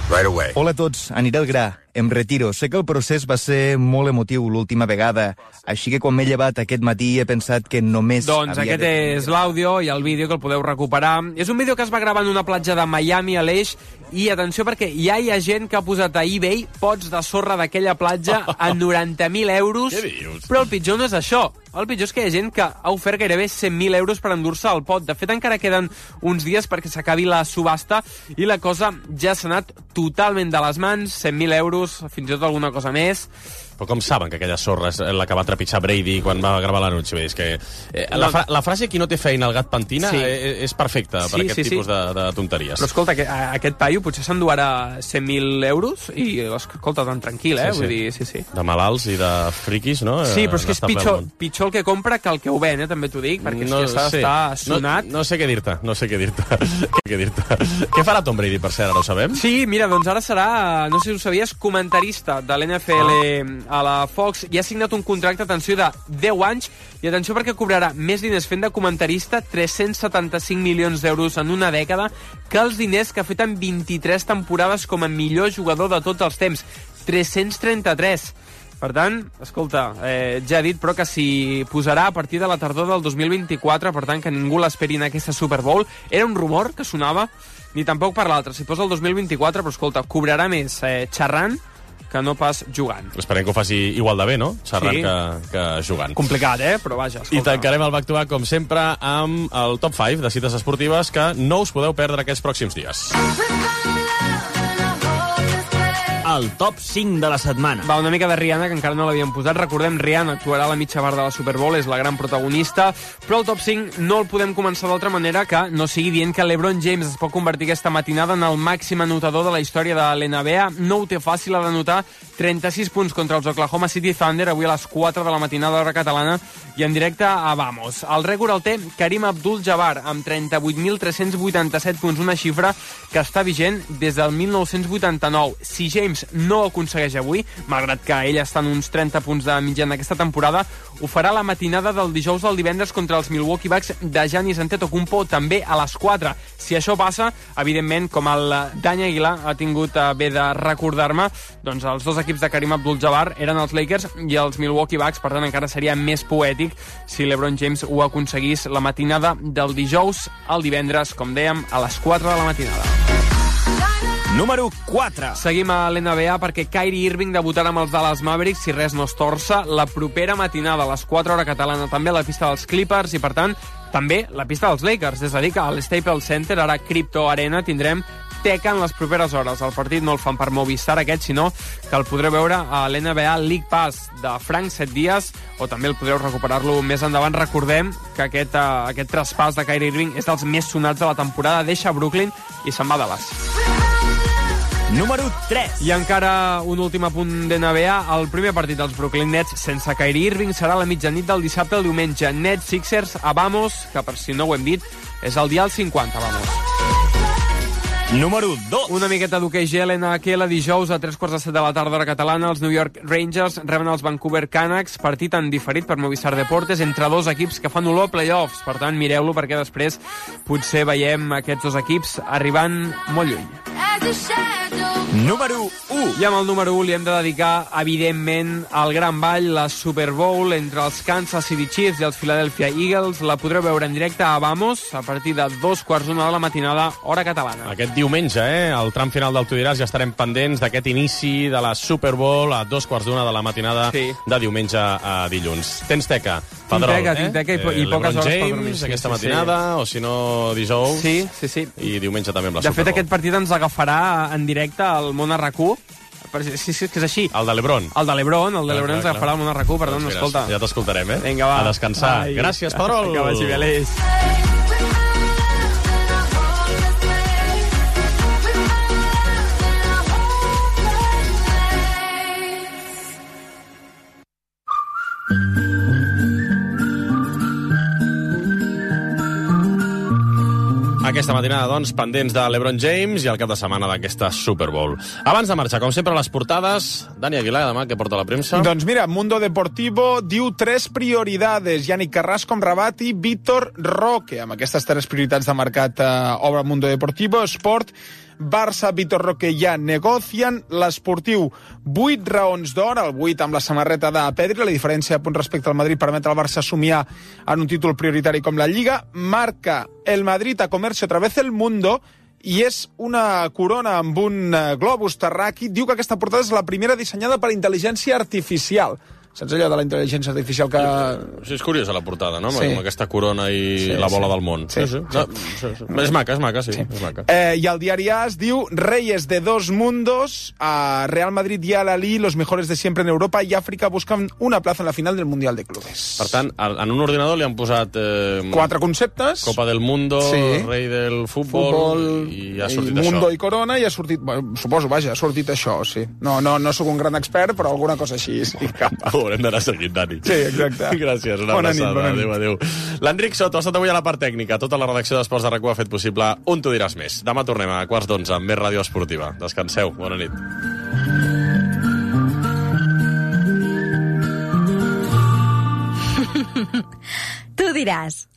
right away. Hola a tots, aniré al gra. em retiro. Sé que el procés va ser molt emotiu l'última vegada, així que quan m'he llevat aquest matí he pensat que només Doncs havia aquest és l'àudio i el vídeo que el podeu recuperar. És un vídeo que es va gravar en una platja de Miami, a l'Eix, i atenció perquè ja hi ha gent que ha posat a eBay pots de sorra d'aquella platja a 90.000 euros. Què dius? Però el pitjor no és això. El pitjor és que hi ha gent que ha ofert gairebé 100.000 euros per endur-se el pot. De fet, encara queden uns dies perquè s'acabi la subhasta i la cosa ja s'ha anat totalment de les mans. 100.000 euros, fins i tot alguna cosa més. Però com saben que aquella sorra és la que va trepitjar Brady quan va gravar l'anunci? És que la frase qui no té feina el gat pentina és perfecta per aquest tipus de tonteries. Però escolta, aquest paio potser s'enduarà 100.000 euros i, escolta, tan tranquil, Vull dir, sí. De malalts i de friquis, no? Sí, però és que és pitjor el que compra que el que ho ven, també t'ho dic, perquè és que s'ha d'estar sonat. No sé què dir-te. Què farà Tom Brady, per cert, ara ho sabem? Sí, mira, doncs ara serà, no sé si ho sabies, comentarista de l'NFL a la Fox, i ha signat un contracte, atenció, de 10 anys, i atenció perquè cobrarà més diners fent de comentarista, 375 milions d'euros en una dècada, que els diners que ha fet en 23 temporades com a millor jugador de tots els temps. 333. Per tant, escolta, ja he dit, però que s'hi posarà a partir de la tardor del 2024, per tant, que ningú l'esperi en aquesta Super Bowl. Era un rumor que sonava, ni tampoc per l'altre. S'hi posa el 2024, però escolta, cobrarà més xerrant que no pas jugant. Esperem que ho faci igual de bé, no? Xerrant que jugant. Complicat, però vaja, escolta. I tancarem el Back to Back, com sempre, amb el top 5 de cites esportives que no us podeu perdre aquests pròxims dies. El top 5 de la setmana. Va, una mica de Rihanna, que encara no l'havíem posat. Recordem, Rihanna actuarà a la mitja part de la Super Bowl, és la gran protagonista, però el top 5 no el podem començar d'altra manera que no sigui dient que LeBron James es pot convertir aquesta matinada en el màxim anotador de la història de l'NBA. No ho té fàcil, ha d'anotar 36 punts contra els Oklahoma City Thunder, avui a les 4 de la matinada hora catalana, i en directe a Vamos. El rècord el té Karim Abdul-Jabbar, amb 38.387 punts, una xifra que està vigent des del 1989. Si James no ho aconsegueix avui, malgrat que ell està en uns 30 punts de mitjana aquesta temporada, ho farà la matinada del dijous al divendres contra els Milwaukee Bucks de Giannis Antetokounmpo, també a les 4. Si això passa, evidentment, com el Dani Aguilar ha tingut bé de recordar-me, doncs els dos equips de Karim Abdul-Jabbar eren els Lakers i els Milwaukee Bucks, per tant encara seria més poètic si LeBron James ho aconseguís la matinada del dijous al divendres, com dèiem, a les 4 de la matinada. Número 4. Seguim a l'NBA perquè Kyrie Irving debutarà amb els Dallas Mavericks, si res no es torça, la propera matinada a les 4 hora catalana, també a la pista dels Clippers i, per tant, també la pista dels Lakers. És a dir, que al Staples Center, ara Crypto Arena, tindrem teca en les properes hores. El partit no el fan per Movistar aquest, sinó que el podreu veure a l'NBA League Pass de Frank 7 dies, o també el podreu recuperar-lo més endavant. Recordem que aquest traspàs de Kyrie Irving és dels més sonats de la temporada, deixa Brooklyn i se'n va a Dallas. Número 3. I encara un últim apunt d'NBA. El primer partit dels Brooklyn Nets sense Kyrie Irving serà a la mitjanit del dissabte al diumenge. Nets Sixers a Vamos, que per si no ho hem dit, és el dial 50, Vamos. Número 2. Una miqueta d'hoquei gel NHL dijous a 3:15 de la tarda hora catalana. Els New York Rangers reben els Vancouver Canucks, partit en diferit per Movistar Deportes entre dos equips que fan olor a playoffs. Per tant, mireu-lo perquè després potser veiem aquests dos equips arribant molt lluny. Número 1. I amb el número 1 li hem de dedicar, evidentment, al gran ball, la Super Bowl entre els Kansas City Chiefs i els Philadelphia Eagles. La podreu veure en directe a Vamos a partir de 2:15 de la matinada, hora catalana. Aquest diumenge, al tram final del Tu diràs, ja estarem pendents d'aquest inici de la Super Bowl a 2:15 de la matinada de diumenge a dilluns. Tens teca, Pedrol, tinc teca i poques hores per dormir. Aquesta matinada, o si no, dijous. Sí. I diumenge també amb la Super Bowl. De fet, aquest partit ens agafarà en directe al Món RAC1. Sí, que és així. El de l'Ebron. El de l'Ebron ens agafarà al Món RAC1, per tant, escolta. Ja t'escoltarem, Vinga, va. A descansar. Gràcies, Pedrol. Que vagi bé, Aleix. Aquesta matinada, doncs, pendents de l'Ebron James i el cap de setmana d'aquesta Super Bowl. Abans de marxar, com sempre, les portades. Dani Aguilar, demà, què porta la premsa? Doncs mira, Mundo Deportivo diu 3 prioridades. Yannick Carrasco amb Rabat i Víctor Roque. Amb aquestes 3 prioritats de mercat obre Mundo Deportivo. Sport Barça, Vitor Roque ja negocien. L'esportiu, 8 raons d'or, el 8 amb la samarreta de Pedri. La diferència de punts respecte al Madrid permet al Barça somiar en un títol prioritari com la Lliga. Marca el Madrid a comerse otra vez el mundo i és una corona amb un globus terraqui. Diu que aquesta portada és la primera dissenyada per intel·ligència artificial. Saps allò de la intel·ligència artificial que... Sí, és curiosa la portada, no? Sí. Amb aquesta corona i la bola del món. Sí. No, és maca, sí. És maca. I el diari AS diu Reyes de dos mundos, a Real Madrid y Al Ahly, los mejores de siempre en Europa y África, buscan una plaza en la final del Mundial de Clubes. Per tant, en un ordinador li han posat... 4 conceptes. Copa del Mundo, rei del futbol i ha sortit això. Mundo i Corona i ha sortit... Bueno, suposo, vaja, ha sortit això, sí. No sóc un gran expert, però alguna cosa així, sí. Haurem d'anar seguint, Dani. Sí, exacte. Gràcies, una abraçada. Adéu. L'Enric Soto ha estat avui a la part tècnica. Tota la redacció d'Esports de RAC1 ha fet possible un Tu diràs més. Demà tornem a 11:15 amb més ràdio esportiva. Descanseu. Bona nit. Tu diràs.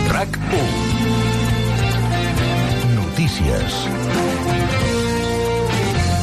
RAC1. Notícies.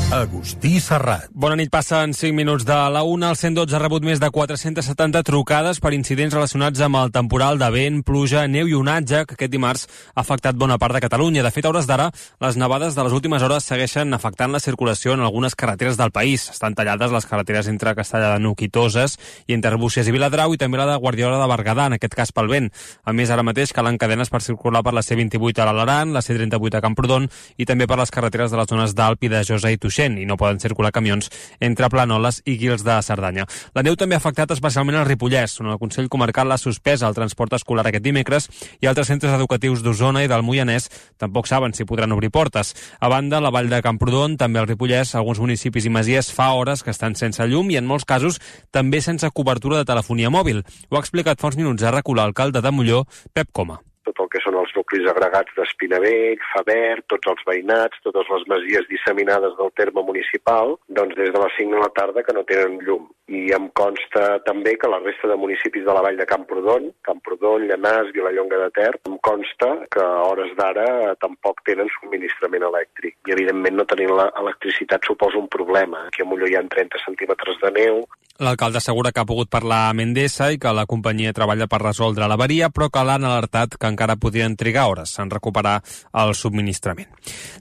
Agustí Serrat. Bona nit, passen 5 minuts de la 1. El 112 ha rebut més de 470 trucades per incidents relacionats amb el temporal de vent, pluja, neu i onatge que aquest dimarts ha afectat bona part de Catalunya. De fet, a hores d'ara, les nevades de les últimes hores segueixen afectant la circulació en algunes carreteres del país. Estan tallades les carreteres entre Castellar de Nuc i Toses i entre Arbúcies i Viladrau i també la de Guardiola de Berguedà, en aquest cas pel vent. A més, ara mateix calen cadenes per circular per la C28 a l'Alaran, la C38 a Camprodon i també per les carreteres de les zones d'Alp i de Josa i Tuixén, i no poden circular camions entre Planoles i Guils de Cerdanya. La neu també ha afectat especialment el Ripollès, on el Consell Comarcal l'ha suspès el transport escolar aquest dimecres i altres centres educatius d'Osona i del Moianès tampoc saben si podran obrir portes. A banda, la vall de Camprodon, també el Ripollès, alguns municipis i masies fa hores que estan sense llum i en molts casos també sense cobertura de telefonia mòbil. Ho ha explicat fa uns minuts a RAC1 l'alcalde de Molló, Pep Coma. Tot el que són els nuclis agregats d'Espinavell, Faber, tots els veïnats, totes les masies disseminades del terme municipal, doncs des de les 5 de la tarda que no tenen llum. I em consta també que la resta de municipis de la vall de Camprodon, Llanars, Vilallonga de Ter, em consta que a hores d'ara tampoc tenen subministrament elèctric. I evidentment no tenir l'electricitat suposa un problema. Aquí a Molló hi ha 30 centímetres de neu. L'alcalde assegura que ha pogut parlar amb Endesa i que la companyia treballa per resoldre l'avaria, però que l'han alertat que encara podrien trigar hores en recuperar el subministrament.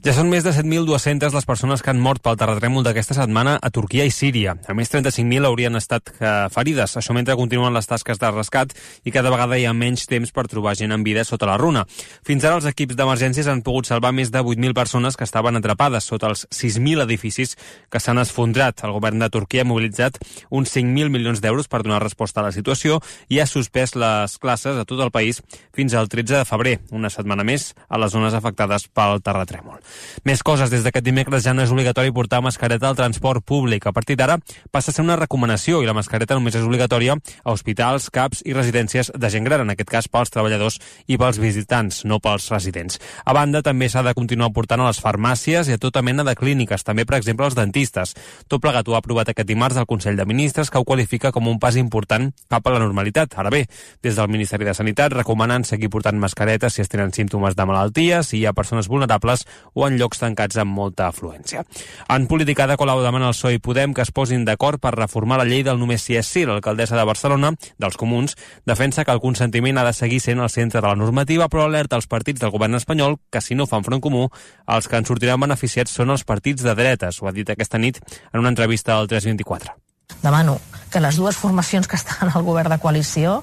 Ja són més de 7.200 les persones que han mort pel terratrèmol d'aquesta setmana a Turquia i Síria. A més, 35.000 haurien estat ferides. Això mentre continuen les tasques de rescat i cada vegada hi ha menys temps per trobar gent en vida sota la runa. Fins ara els equips d'emergències han pogut salvar més de 8.000 persones que estaven atrapades sota els 6.000 edificis que s'han esfondrat. El govern de Turquia ha mobilitzat uns 5.000 milions d'euros per donar resposta a la situació i ha suspès les classes a tot el país fins al 13 de febrer, una setmana més a les zones afectades pel terratrèmol. Més coses. Des d'aquest dimecres ja no és obligatori portar mascareta al transport públic. A partir d'ara passa a ser una recomanació i la mascareta només és obligatòria a hospitals, CAPs i residències de gent gran, en aquest cas pels treballadors i pels visitants, no pels residents. A banda, també s'ha de continuar portant a les farmàcies i a tota mena de clíniques, també, per exemple, als dentistes. Tot plegat ho ha aprovat aquest dimarts el Consell de Ministres, que ho qualifica com un pas important cap a la normalitat. Ara bé, des del Ministeri de Sanitat recomanen seguir portant mascaretes si es tenen símptomes de malaltia, si hi ha persones vulnerables o en llocs tancats amb molta afluència. En política de Colau demana al PSOE i Podem que es posin d'acord per reformar la llei del només si és sí. L'alcaldessa de Barcelona, dels Comuns, defensa que el consentiment ha de seguir sent el centre de la normativa, però alerta als partits del govern espanyol que si no fan front comú, els que en sortiran beneficiats són els partits de dretes. Ho ha dit aquesta nit en una entrevista al 324. Demano que les dues formacions que estan al govern de coalició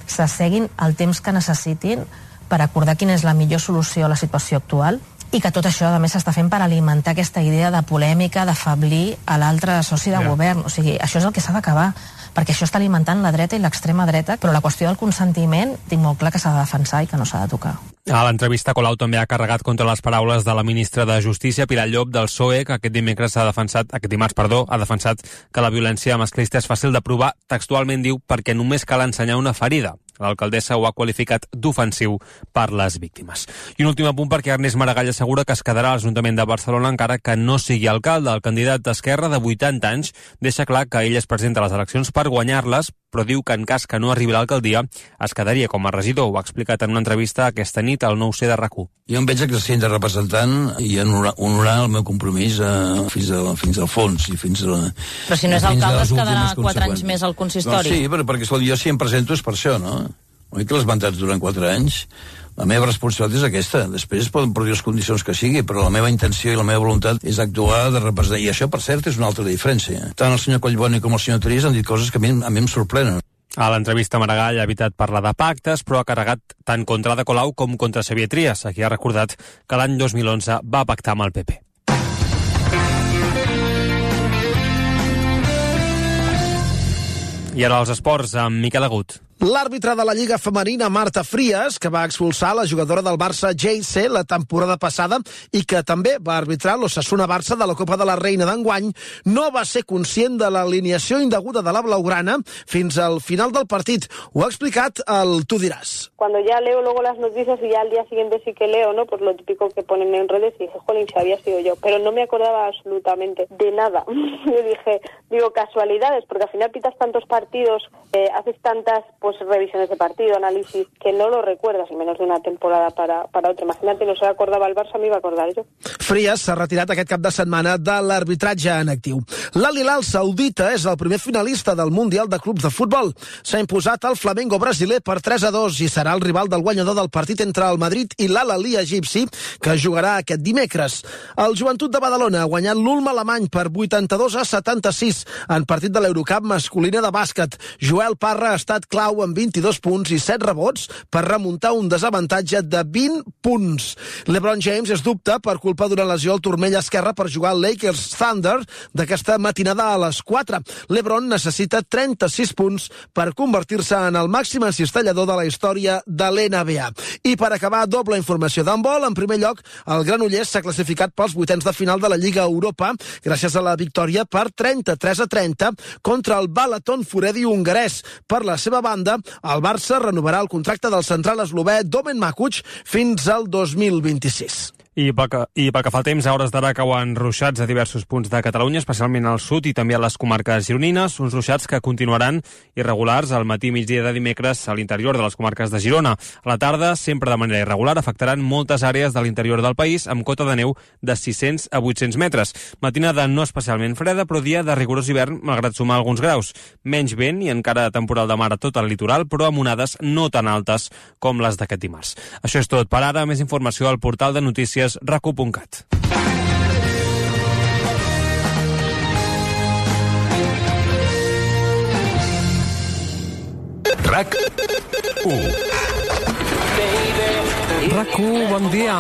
s'asseguin el temps que necessitin per acordar quina és la millor solució a la situació actual i que tot això, a més, s'està fent per alimentar aquesta idea de polèmica, d'afablir a l'altre soci de govern. O sigui, això és el que s'ha d'acabar, perquè això està alimentant la dreta i l'extrema dreta, però la qüestió del consentiment tinc molt clar que s'ha de defensar i que no s'ha de tocar. A l'entrevista, Colau també ha carregat contra les paraules de la ministra de Justícia, Pilar Llop, del PSOE, que aquest dimarts ha defensat que la violència masclista és fàcil de provar. Textualment diu, perquè només cal ensenyar una ferida. L'alcaldessa ho ha qualificat d'ofensiu per les víctimes. I un últim apunt perquè Ernest Maragall assegura que es quedarà a l'Ajuntament de Barcelona encara que no sigui alcalde. El candidat d'Esquerra, de 80 anys, deixa clar que ell es presenta a les eleccions per guanyar-les, però diu que en cas que no arribi a l'alcaldia es quedaria com a regidor. Ho ha explicat en una entrevista aquesta nit al 9C de RAC1. Jo em veig exercint de representant i honorar el meu compromís fins al fons. I fins a, però si no és alcalde es quedarà 4 anys més al consistori. No, sí, perquè jo si em presento és per això, no? Oi que les mandats duren 4 anys? La meva responsabilitat és aquesta. Després poden produir les condicions que sigui, però la meva intenció i la meva voluntat és actuar de representar. I això, per cert, és una altra diferència. Tant el senyor Collboni com el senyor Trias han dit coses que a mi em sorprenen. A l'entrevista, Maragall ha evitat parlar de pactes, però ha carregat tant contra Ada Colau com contra Xavier Trias, a qui ha recordat que l'any 2011 va pactar amb el PP. I ara els esports, amb Miquel Agut. L'àrbitre de la Lliga Femenina, Marta Frias, que va expulsar la jugadora del Barça JC la temporada passada i que també va arbitrar l'Osasuna-Barça de la Copa de la Reina d'enguany, no va ser conscient de l'alineació indeguda de la blaugrana fins al final del partit. Ho ha explicat el Tu diràs. Cuando ya leo luego las noticias y ya al día siguiente sí que leo, ¿no? Pues lo típico que ponen en redes y dije, jolín, si había sido yo. Pero no me acordaba absolutamente de nada. Yo digo, casualidades, porque al final pitas tantos partidos, haces tantas pues revisiones de partido, análisis, que no lo recuerdas en menos de una temporada para otra. Imagínate, no se acordaba el Barça, me iba a acordar yo. Frias s'ha retirat aquest cap de setmana de l'arbitratge en actiu. L'Al Hilal saudita és el primer finalista del Mundial de Clubs de Futbol. S'ha imposat al Flamengo brasiler per 3-2 i serà el rival del guanyador del partit entre el Madrid i l'Al-Ahly egipci, que jugarà aquest dimecres. El Joventut de Badalona ha guanyat l'Ulm alemany per 82-76 en partit de l'Eurocup masculina de bàsquet. Joel Parra ha estat clau amb 22 punts i 7 rebots per remuntar un desavantatge de 20 punts. LeBron James és dubte per culpa d'una lesió al turmell esquerre per jugar al Lakers Thunder d'aquesta matinada a les 4. LeBron necessita 36 punts per convertir-se en el màxim encistellador de la història de l'NBA. I per acabar, doble informació d'handbol. En primer lloc, el Granollers s'ha classificat pels vuitens de final de la Lliga Europa gràcies a la victòria per 33-30 contra el Balaton Furedi hongarès. Per la seva banda, el Barça renovarà el contracte del central eslové Domen Makuc fins al 2026. I pel que fa al temps, a hores d'ara cauen ruixats a diversos punts de Catalunya, especialment al sud i també a les comarques gironines, uns ruixats que continuaran irregulars al matí i migdia de dimecres a l'interior de les comarques de Girona. A la tarda, sempre de manera irregular, afectaran moltes àrees de l'interior del país amb cota de neu de 600 a 800 metres. Matinada no especialment freda, però dia de rigorós hivern, malgrat sumar alguns graus. Menys vent i encara temporal de mar a tot el litoral, però amb onades no tan altes com les d'aquest dimarts. Això és tot per ara. Més informació al portal de notícies racu.cat. RAC1. RAC1, bon dia.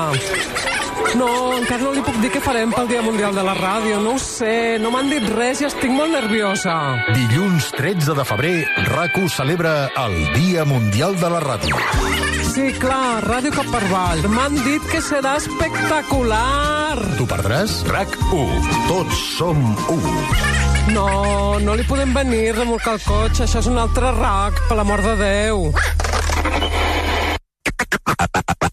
No, encara no li puc dir què farem pel Dia Mundial de la Ràdio. No ho sé, no m'han dit res i estic molt nerviosa. Dilluns 13 de febrer, RAC1 celebra el Dia Mundial de la Ràdio. Sí, clar, Ràdio Cap per Avall. M'han dit que serà espectacular. Tu perdràs? RAC1. Tots som u. No, no li podem venir a remolcar el cotxe. Això és un altre RAC, per l'amor de Déu.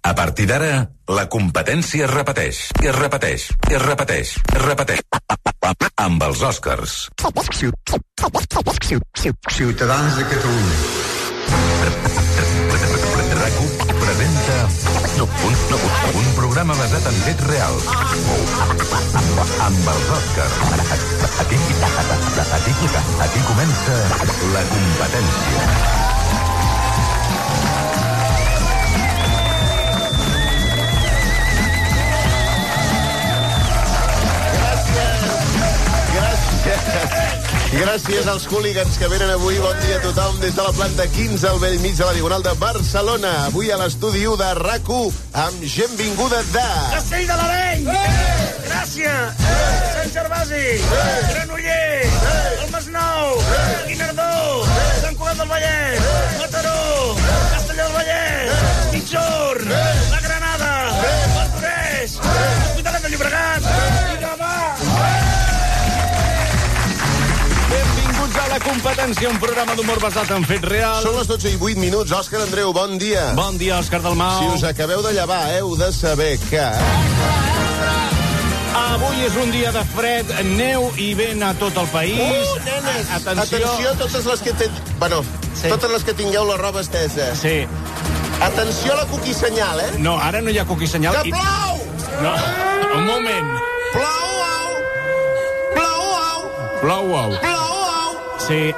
A partir d'ara, la competència es repeteix, i es repeteix, i es repeteix, i es repeteix. Amb els Oscars. Ciutadans de Catalunya. RAC1 presenta un programa basat en fets reals. Amb els Oscars. Aquí comença la competència. Gràcies als hooligans que venen avui. Bon dia a tothom des de la planta 15 al bell mig de la Diagonal de Barcelona. Avui a l'estudi 1 de RAC1 amb gent vinguda de... Castell de l'Areny! Gràcia! Sant Gervasi! Granollers! El Masnou! Guinardó! Sant Cugat del Vallès! Mataró! Castelló del Vallès! Mitjorn! La Granada! Martorell! L'Hospitalet de Llobregat! I Gavà! Benvinguts a la competència, un programa d'humor basat en fets reals. Són les 12 i 8 minuts. Òscar Andreu, bon dia. Bon dia, Òscar Dalmau. Si us acabeu de llevar, heu de saber que... Avui és un dia de fred, neu i vent a tot el país. Nena! Nenes, atenció totes les que totes les que tingueu la roba estesa. Sí. Atenció a la cuqui senyal, eh? No, ara no hi ha cuqui senyal. Que plou! No, un moment. Plou-au! Plou-au! Plou-au. Plou-au! Sí.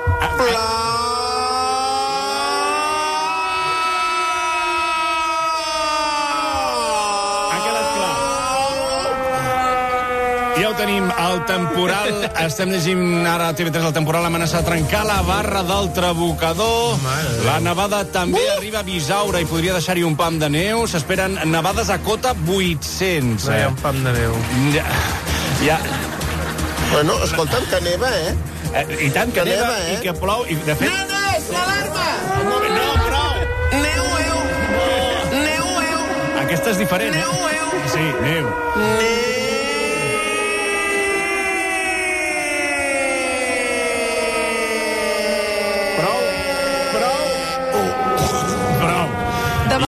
Ja ho tenim, el temporal, estem llegint ara a TV3 el temporal amenaça de trencar la barra del Trabucador. La nevada també arriba a Bisaura i podria deixar-hi un pam de neu. S'esperen nevades a cota 800. No hi ha un pam de neu. Ja. Bueno, escolta'm, que neva, eh? I tant que neva, i que plou. I de fet... Nenes, l'alarma! No, prou! Neu! Aquesta és diferent, eh? Neu! Sí, neu. Neu!